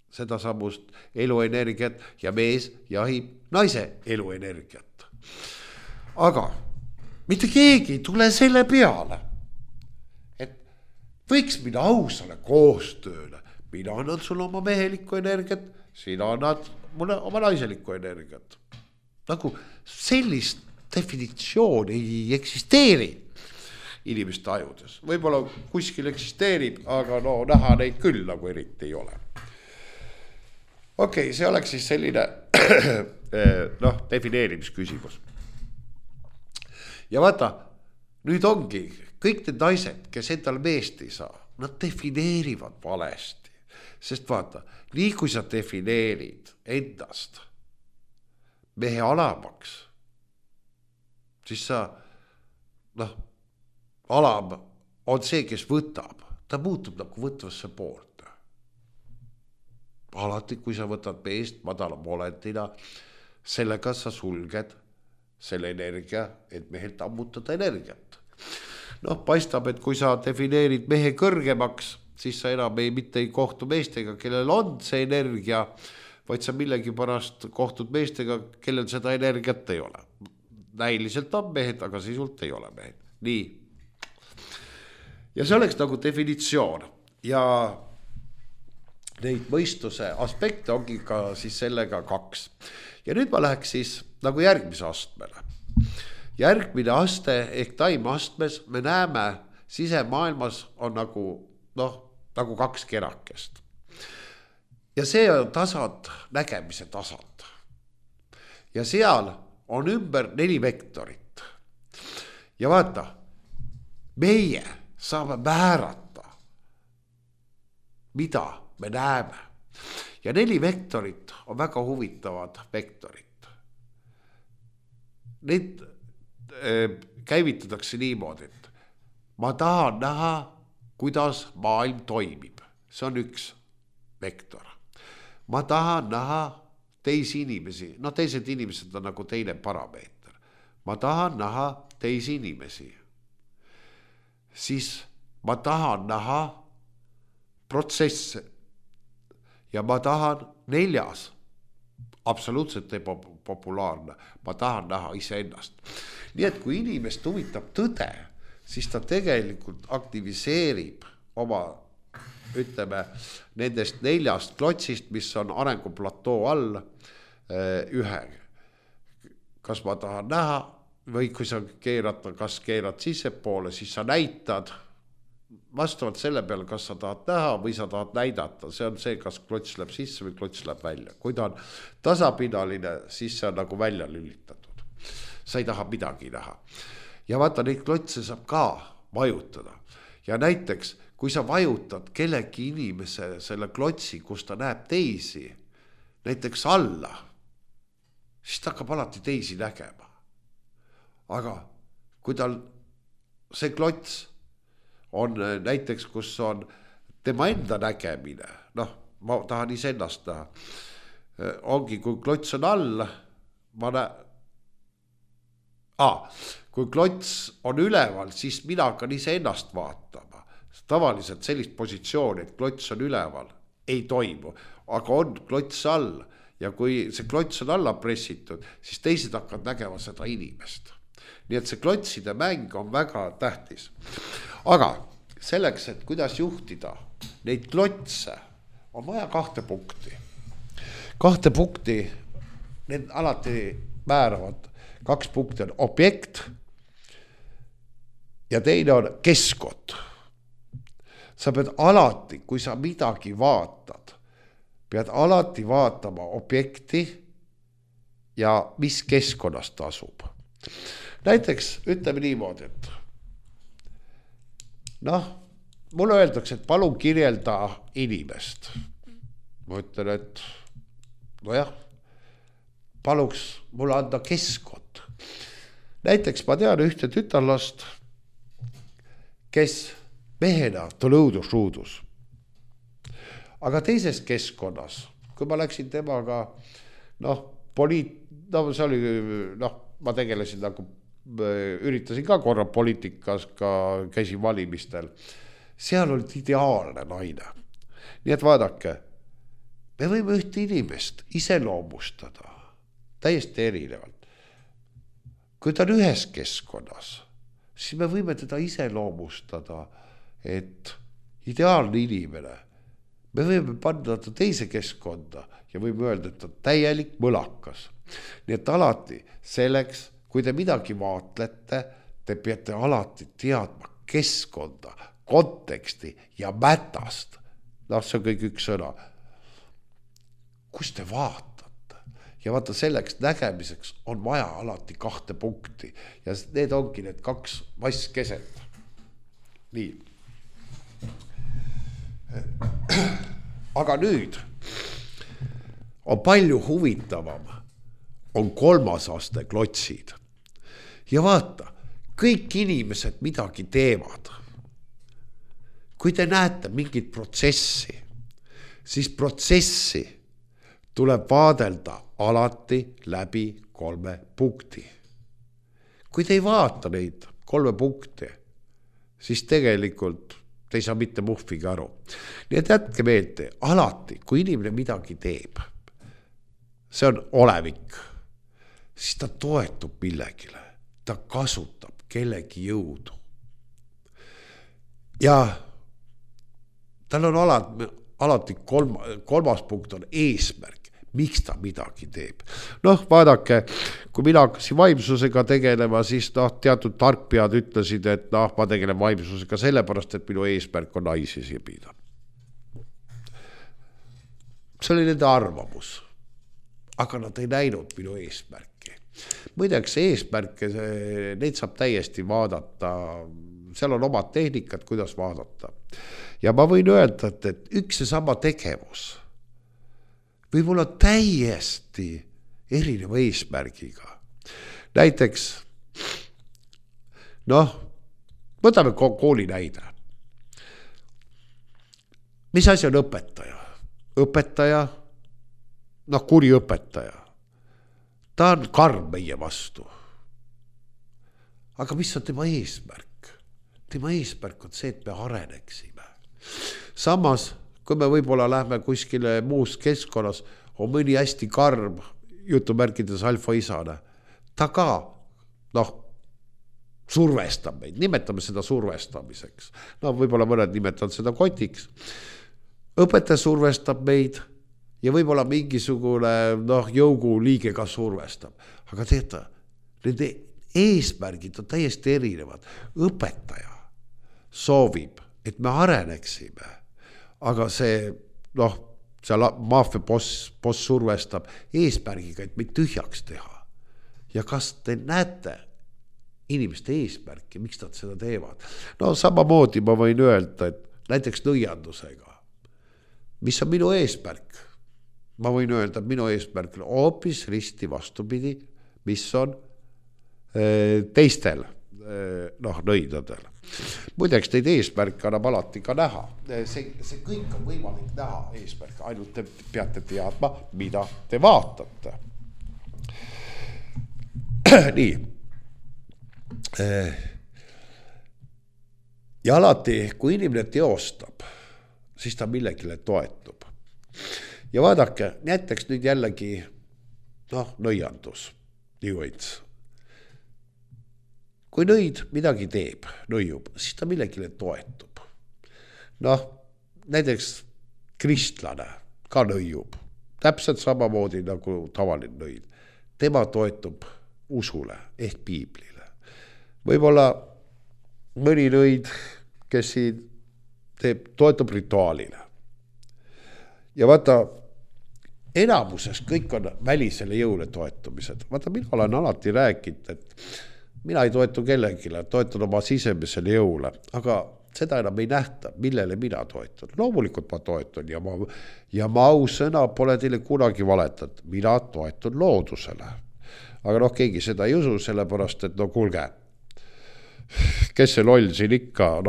seda samust eluenergiat, ja mees jahib naise eluenergiat. Aga mitte keegi ei tule selle peale, et võiks minna ausale koostööle, mina annan sulle oma mehelikku energiat, sina annad mulle oma naiselikku energiat. Nagu sellist definitsiooni ei eksisteeri inimeste ajudes. Võib-olla kuskil eksisteerib, aga no näha neid küll nagu eriti ei ole. Okei, see oleks siis selline defineerimisküsimus. Ja vaata, nüüd ongi kõik need naised, kes endal meest ei saa, nad defineerivad valesti. Sest vaata, nii kui sa defineerid endast mehe alamaks, siis sa, alam on see, kes võtab. Ta muutub nagu võtvasse poolt. Alati, kui sa võtad meest madala olendina, sellega sa sulged selle energia, et mehelt ammutada energiat. Paistab, et kui sa defineerid mehe kõrgemaks, siis sa enam mitte ei kohtu meestega, kellel on see energia, vaid sa millegi pärast kohtud meestega, kellel seda energiat ei ole. Näiliselt on mehed, aga sisult ei ole mehed. Nii. Ja see oleks nagu definitsioon. Ja neid mõistuse aspekte ongi ka siis sellega 2. Ja nüüd ma läheks siis nagu järgmise astmele. Järgmine aste ehk taimeastmes me näeme sisemaailmas on nagu 2 kerakest. Ja see on tasand, nägemise tasand. Ja seal on ümber 4 vektorit. Ja vaata, meie saame määrata, mida me näeme. Ja 4 vektorit on väga huvitavad vektorid. Need käivitatakse niimoodi, et ma tahan näha, kuidas maailm toimib. See on 1 vektor. Ma tahan näha teisi inimesi. Teised inimesed on nagu teine parameeter. Ma tahan näha teisi inimesi. Siis ma tahan näha protsesse. Ja ma tahan 4. Absoluutselt populaarne. Ma tahan näha iseennast. Nii et kui inimest huvitab tõde, siis ta tegelikult aktiviseerib oma, ütleme, nendest 4 klotsist, mis on arenguplatoo all 1. Kas ma tahan näha või kui sa kas keerad sissepoole, siis sa näitad vastavalt selle peale, kas sa tahad näha või sa tahad näidata. See on see, kas klots läheb sisse või klots läheb välja. Kui ta on tasapinaline, siis see on nagu välja lülitatud. Sa ei taha midagi näha. Ja vaata, neid klotse saab ka vajutada. Ja näiteks, kui sa vajutad kellegi inimese selle klotsi, kus ta näeb teisi, näiteks alla, siis ta hakkab alati teisi nägema. Aga kui tal see klots on näiteks, kus on tema enda nägemine, ma tahan iseennast näha, ongi, kui klots on all, kui klots on üleval, siis mina hakkan iseennast vaatama. Tavaliselt sellist positsiooni, et klots on üleval, ei toimu, aga on klots all ja kui see klots on alla pressitud, siis teised hakkavad nägema seda inimest. Nii et see klotside mäng on väga tähtis. Aga selleks, et kuidas juhtida neid klotse, on vaja 2 punkti. 2 punkti, need alati määravad. 2 punkti on objekt ja teine on keskkond. Sa pead alati, kui sa midagi vaatad, pead alati vaatama objekti ja mis keskkonnast asub. Näiteks ütleme niimoodi, et mulle öeldakse, et palun kirjelda inimest. Ma ütlen, et paluks mulle anda keskkond. Näiteks ma tean ühte tütarlast, kes mehena ta õudus. Aga teises keskkonnas, kui ma läksin temaga, see oli, ma tegelesin nagu, üritasin ka korra poliitikas, ka käisin valimistel. Seal oli ideaalne naine. Nii et vaadake, me võime ühte inimest iseloomustada täiesti erinevalt. Kui ta on ühes keskkonnas, siis me võime teda iseloomustada, et ideaalne inimene, me võime panna ta teise keskkonda ja võime öelda, et ta on täielik mõlakas. Nii et alati selleks, kui te midagi vaatlete, te peate alati teadma keskkonda, konteksti ja mätast. See on kõik üks sõna. Kus te vaatate? Ja vaata selleks nägemiseks on vaja alati 2 punkti ja need ongi need 2 vasskeset. Nii. Aga nüüd on palju huvitavam, on 3. aste klotsid. Ja vaata, kõik inimesed midagi teevad. Kui te näete mingit protsessi, siis protsessi tuleb vaadelda alati läbi 3 punkti. Kui te ei vaata neid 3 punkti, siis tegelikult te ei saa mitte muhviga aru. Nii et jätke meelde, alati, kui inimene midagi teeb, see on olevik, siis ta toetub millegile, ta kasutab kellegi jõudu. Ja tal on alati 3. punkt on eesmärk, miks ta midagi teeb. Vaadake, kui mina hakkasin vaimsusega tegelema, siis teatud tarkpead ütlesid, et ma tegelen vaimsusega sellepärast, et minu eesmärk on naisi sibida. See oli nende arvamus, aga nad ei näinud minu eesmärki. Muideks eesmärke, neid saab täiesti vaadata, seal on omad tehnikad, kuidas vaadata. Ja ma võin öelda, et üks ja sama tegevus võib olla täiesti erineva eesmärgiga. Näiteks, võtame kooli näide. Mis asi on õpetaja? Õpetaja, kuri õpetaja. Ta on karm meie vastu. Aga mis on tema eesmärk? Tema eesmärk on see, et me areneksime. Samas, kui me võib-olla lähme kuskile muus keskkonnas, on mõni hästi karm, jutumärkides alfaisane. Ta ka, survestab meid, nimetame seda survestamiseks. Võib-olla mõned nimetavad seda kotiks. Õpetaja survestab meid ja võib-olla mingisugune jõugu liige ka survestab. Aga teeta, nende eesmärgid on täiesti erinevad. Õpetaja soovib, et me areneksime, aga see, maafia boss survestab eesmärgiga, et meid tühjaks teha. Ja kas te näete inimeste eesmärki, miks nad seda teevad? Samamoodi ma võin öelda, et näiteks nõiandusega. Mis on minu eesmärk? Ma võin öelda, et minu eesmärk on hoopis risti vastupidi, mis on teistel nõidadel. Muideks neid eesmärke annab alati ka näha. See kõik on võimalik näha eesmärk, ainult te peate teadma, mida te vaatate. Nii. Ja alati, kui inimene teostab, siis ta millegile toetub. Ja vaadake, näiteks nüüd jällegi nõiandus, New-Age. Kui nõid midagi teeb, nõiub, siis ta millegile toetub. Näiteks kristlane ka nõiub, täpselt samamoodi nagu tavaline nõid. Tema toetub usule ehk piiblile. Võib-olla mõni nõid, kes siin toetub rituaalile. Ja vaata, enamuses kõik on välisele jõule toetumised. Vaata, mina olen alati rääkinud, et mina ei toetu kellegile, toetan oma sisemisele jõule, aga seda enam ei nähta, millele mina toetun. Loomulikult ma toetun ja ma ausõna pole teile kunagi valetanud. Mina toetun loodusele. Aga keegi seda ei usu, sellepärast, et kuulge, kes see loll siin ikka,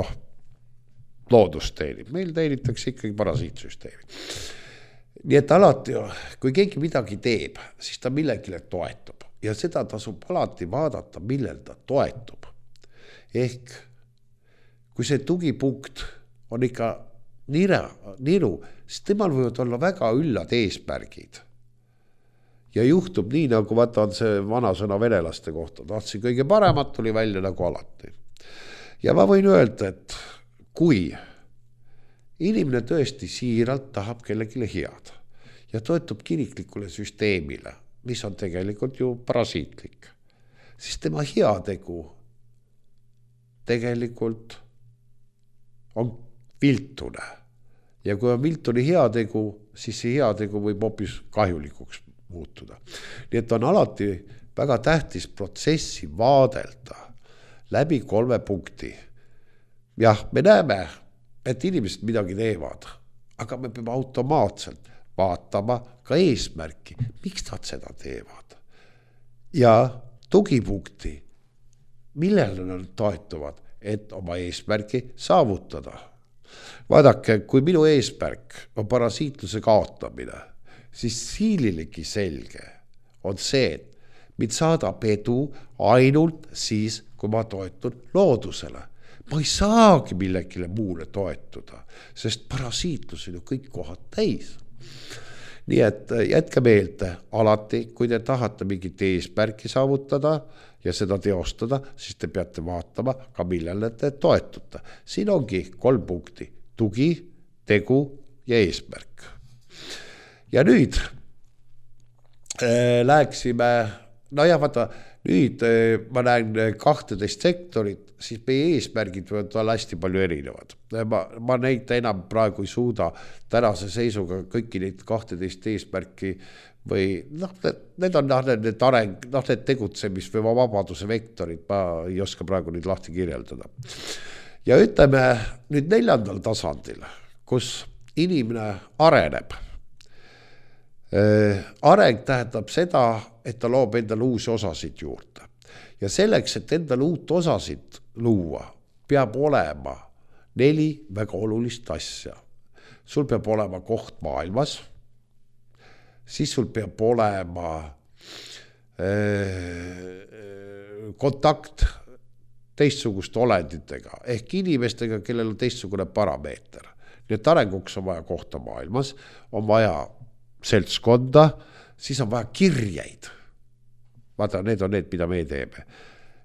loodust teenib. Meil teenitakse ikkagi parasiitsüsteemi. Nii et alati, kui keegi midagi teeb, siis ta millegile toetub. Ja seda tasub alati vaadata, millel ta toetub. Ehk, kui see tugipunkt on ikka niru, siis temal võivad olla väga üllad eesmärgid. Ja juhtub nii, nagu vaata on see vana sõna venelaste kohta. Tahtsin kõige paremat, tuli välja nagu alati. Ja ma võin öelda, et kui inimene tõesti siiralt tahab kellegile head ja toetub kiriklikule süsteemile, mis on tegelikult ju parasiitlik, siis tema heategu tegelikult on viltune. Ja kui on viltune heategu, siis see heategu võib hoopis kahjulikuks muutuda. Nii et on alati väga tähtis protsessi vaadelda läbi 3 punkti. Jah, me näeme, et inimesed midagi teevad, aga me peame automaatselt vaatama ka eesmärki, miks nad seda teevad. Ja tugipunkti, millele nad toetuvad, et oma eesmärki saavutada. Vaadake, kui minu eesmärk on parasiitluse kaotamine, siis siililegi selge on see, et mind saadab edu ainult siis, kui ma toetun loodusele. Ma ei saagi millegile muule toetuda, sest parasiitlus on ju kõik kohad täis. Nii et jätke meelde alati, kui te tahate mingit eesmärki saavutada ja seda teostada, siis te peate vaatama ka millele te toetute. Siin ongi 3 punkti. Tugi, tegu ja eesmärk. Ja nüüd läheksime, vaata, nüüd ma näen 12 sektorit, siis meie eesmärgid võivad olla hästi palju erinevad. Ma neid enam praegu ei suuda tänase seisuga kõiki neid 12 eesmärki või need on need areng, need tegutsemis või vabaduse vektorid, ma ei oska praegu neid lahti kirjeldada. Ja ütleme nüüd 4. tasandil, kus inimene areneb. Areng tähendab seda, et ta loob endale uusi osasid juurde. Ja selleks, et endale uut osasid luua, peab olema 4 väga olulist asja. Sul peab olema koht maailmas, siis sul peab olema kontakt teistsuguste olenditega, ehk inimestega, kellel on teistsugune parameeter. Nii et arenguks on vaja kohta maailmas, on vaja seltskonda, siis on vaja kirjeid. Vaata, need on need, mida me teeme.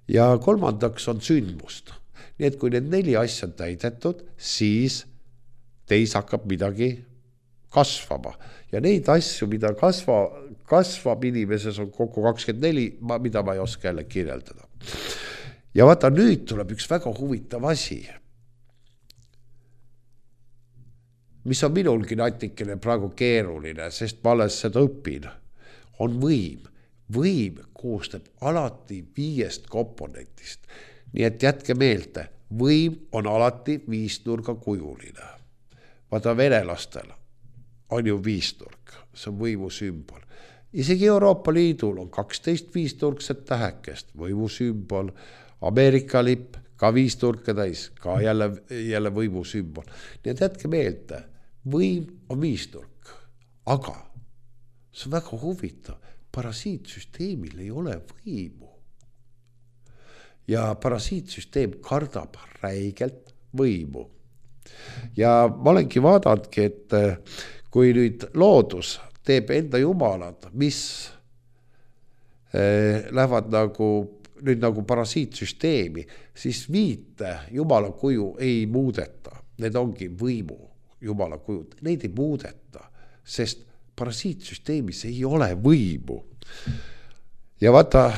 Ja 3. on sündmust. Nii et kui need 4 asja on täidetud, siis teis hakkab midagi kasvama. Ja neid asju, mida kasvab inimeses on kokku 24, mida ma ei oska jälle kirjeldada. Ja vaata, nüüd tuleb üks väga huvitav asi, mis on minulgi natikene praegu keeruline, sest ma alles seda õpin, on võim. Võim koostab alati 5 komponentist. Nii et jätke meelde, võim on alati 5-nurga kujuline. Vaata, venelastel on ju 5-nurk, see on võimu sümbol. Isegi Euroopa Liidul on 12 5-nurkset tähekest, võimu sümbol, Ameerika lipp, ka 5-nurka täis, ka jälle võimu sümbol. Nii et jätke meelde, võim on 5-nurk, aga see on väga huvitav, parasiitsüsteemil ei ole võimu. Ja parasiitsüsteem kardab räigelt võimu. Ja ma olengi vaadanudki, et kui nüüd loodus teeb enda jumalad, mis lähevad nagu parasiitsüsteemi, siis 5 jumala kuju ei muudeta. Need ongi võimu jumala kujud. Neid ei muudeta, sest parasiitsüsteemis ei ole võimu. Ja vaata,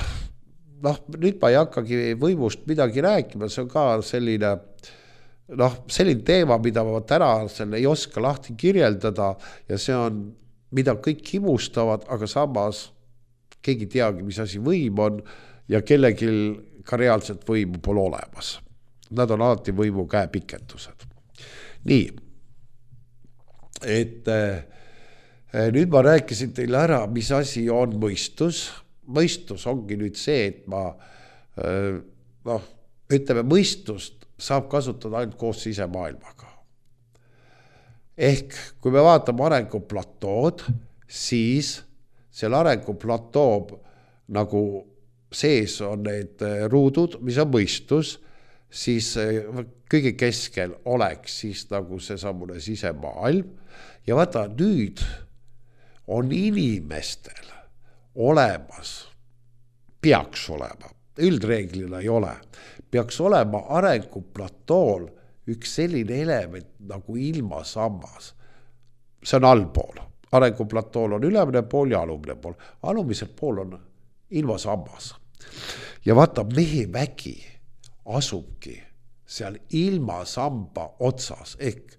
nüüd ma ei hakkagi võimust midagi rääkima, see on ka selline teema, mida ma täna ei oska lahti kirjeldada ja see on, mida kõik himustavad, aga samas keegi teagi, mis asi võim on ja kellelgi ka reaalselt võimu pole olemas. Nad on alati võimu käepikendused. Nii, et nüüd ma rääkisin teile ära, mis asi on mõistus. Mõistus ongi nüüd see, et ütleme, mõistust saab kasutada ainult koos sisemaailmaga. Ehk kui me vaatame arenguplatood, siis seal arenguplatood nagu sees on need ruudud, mis on mõistus, siis kõige keskel oleks siis nagu see samune sisemaailm. Ja vaata, nüüd on inimestel olemas, peaks olema, üldreeglina ei ole, peaks olema arenguplatool üks selline element nagu ilmasammas. See on allpool. Arenguplatool on ülemine pool ja alumine pool. Alumisel pool on ilmasammas. Ja vaata, mehe vägi asubki seal ilmasamba otsas. Ehk,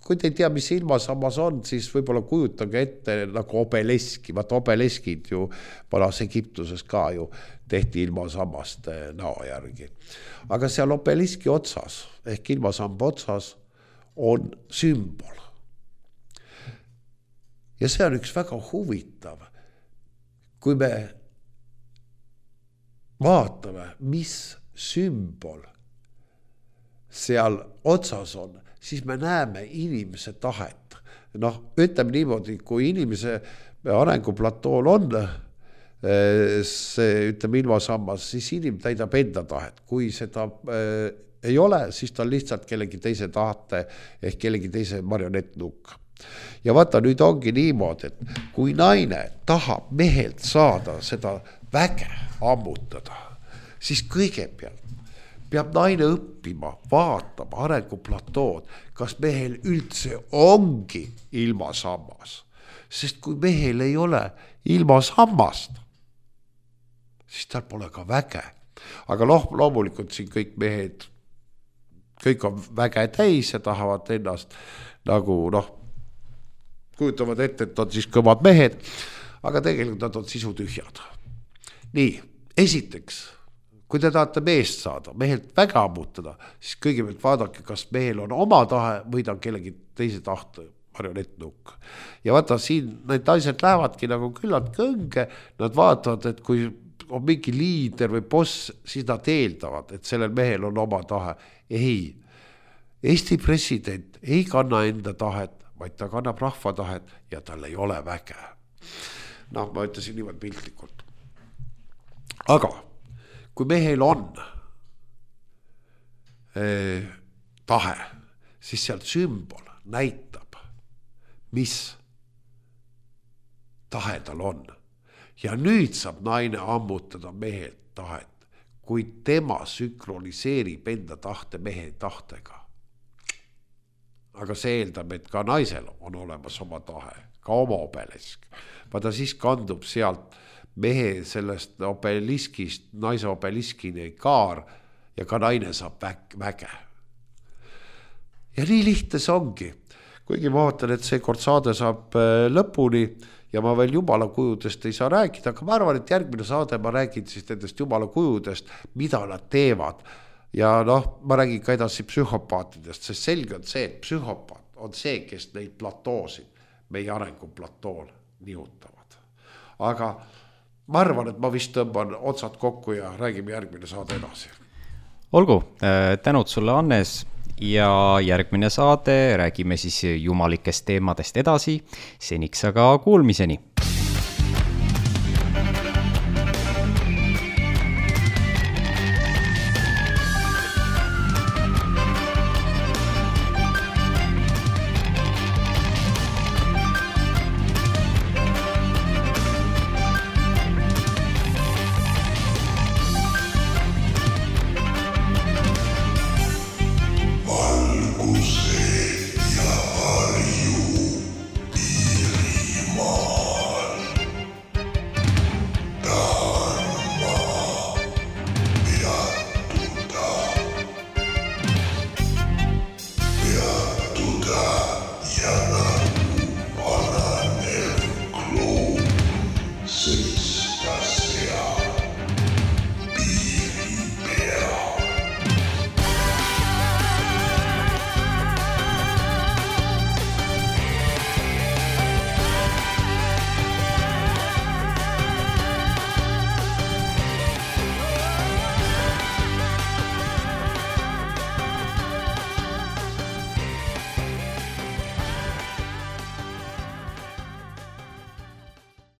kui te ei tea, mis ilmasammas on, siis võib-olla kujutage ette nagu obeleski. Vaata, obeleskid ju vanas Egiptuses ka ju tehti ilmasammast näo järgi. Aga seal obeliski otsas, ehk ilmasamba otsas on sümbol. Ja see on üks väga huvitav. Kui me vaatame, mis sümbol seal otsas on, siis me näeme inimese tahet. Ütleme niimoodi, kui inimese arenguplatool on see, ütleme, ilmasammas, siis inimene täidab enda tahet. Kui seda ei ole, siis ta on lihtsalt kellegi teise tahte ehk kellegi teise marionettnukk. Ja vaata, nüüd ongi niimoodi, et kui naine tahab mehelt saada seda väge ammutada, siis kõigepealt peab naine õppima, vaatama arenguplatood, kas mehel üldse ongi ilmasammas. Sest kui mehel ei ole ilmasammast, siis tal pole ka väge. Aga loomulikult siin kõik mehed, kõik on väge täis ja tahavad ennast nagu kujutavad ette, et on siis kõvad mehed, aga tegelikult nad on sisutühjad. Nii, esiteks, kui te tahate meest saada, mehelt väge ammutada, siis kõigepealt vaadake, kas mehel on oma tahe või ta on kellegi teise tahte marionettnukk. Ja vaata, siin need naised lähevadki nagu küllalt kõnge, nad vaatavad, et kui on mingi liider või boss, siis nad eeldavad, et sellel mehel on oma tahe. Ei, Eesti president ei kanna enda tahet, vaid ta kannab rahva tahet ja tal ei ole väge. Ma ütlesin niimoodi piltlikult. Aga kui mehel on tahe, siis seal sümbol näitab, mis tahe tal on. Ja nüüd saab naine ammutada mehelt tahet, kui tema sünkroniseerib enda tahte mehe tahtega. Aga see eeldab, et ka naisel on olemas oma tahe, ka oma obelisk. Vaata, siis kandub sealt mehe sellest obeliskist, naise obeliskini kaar ja ka naine saab väge. Ja nii lihtne see ongi. Kuigi ma vaatan, et see kord saade saab lõpuni ja ma veel jumala kujudest ei saa rääkida, aga ma arvan, et järgmine saade ma räägin siis nendest jumala kujudest, mida nad teevad. Ja ma räägin ka edasi psühhopaatidest, sest selge on see, et psühhopaat on see, kes neid platoosid meie arenguplatool nihutavad. Aga ma arvan, et ma vist tõmban otsad kokku ja räägime järgmine saade edasi. Olgu, tänud sulle, Hannes, ja järgmine saade räägime siis jumalikest teemadest edasi. Seniks aga kuulmiseni.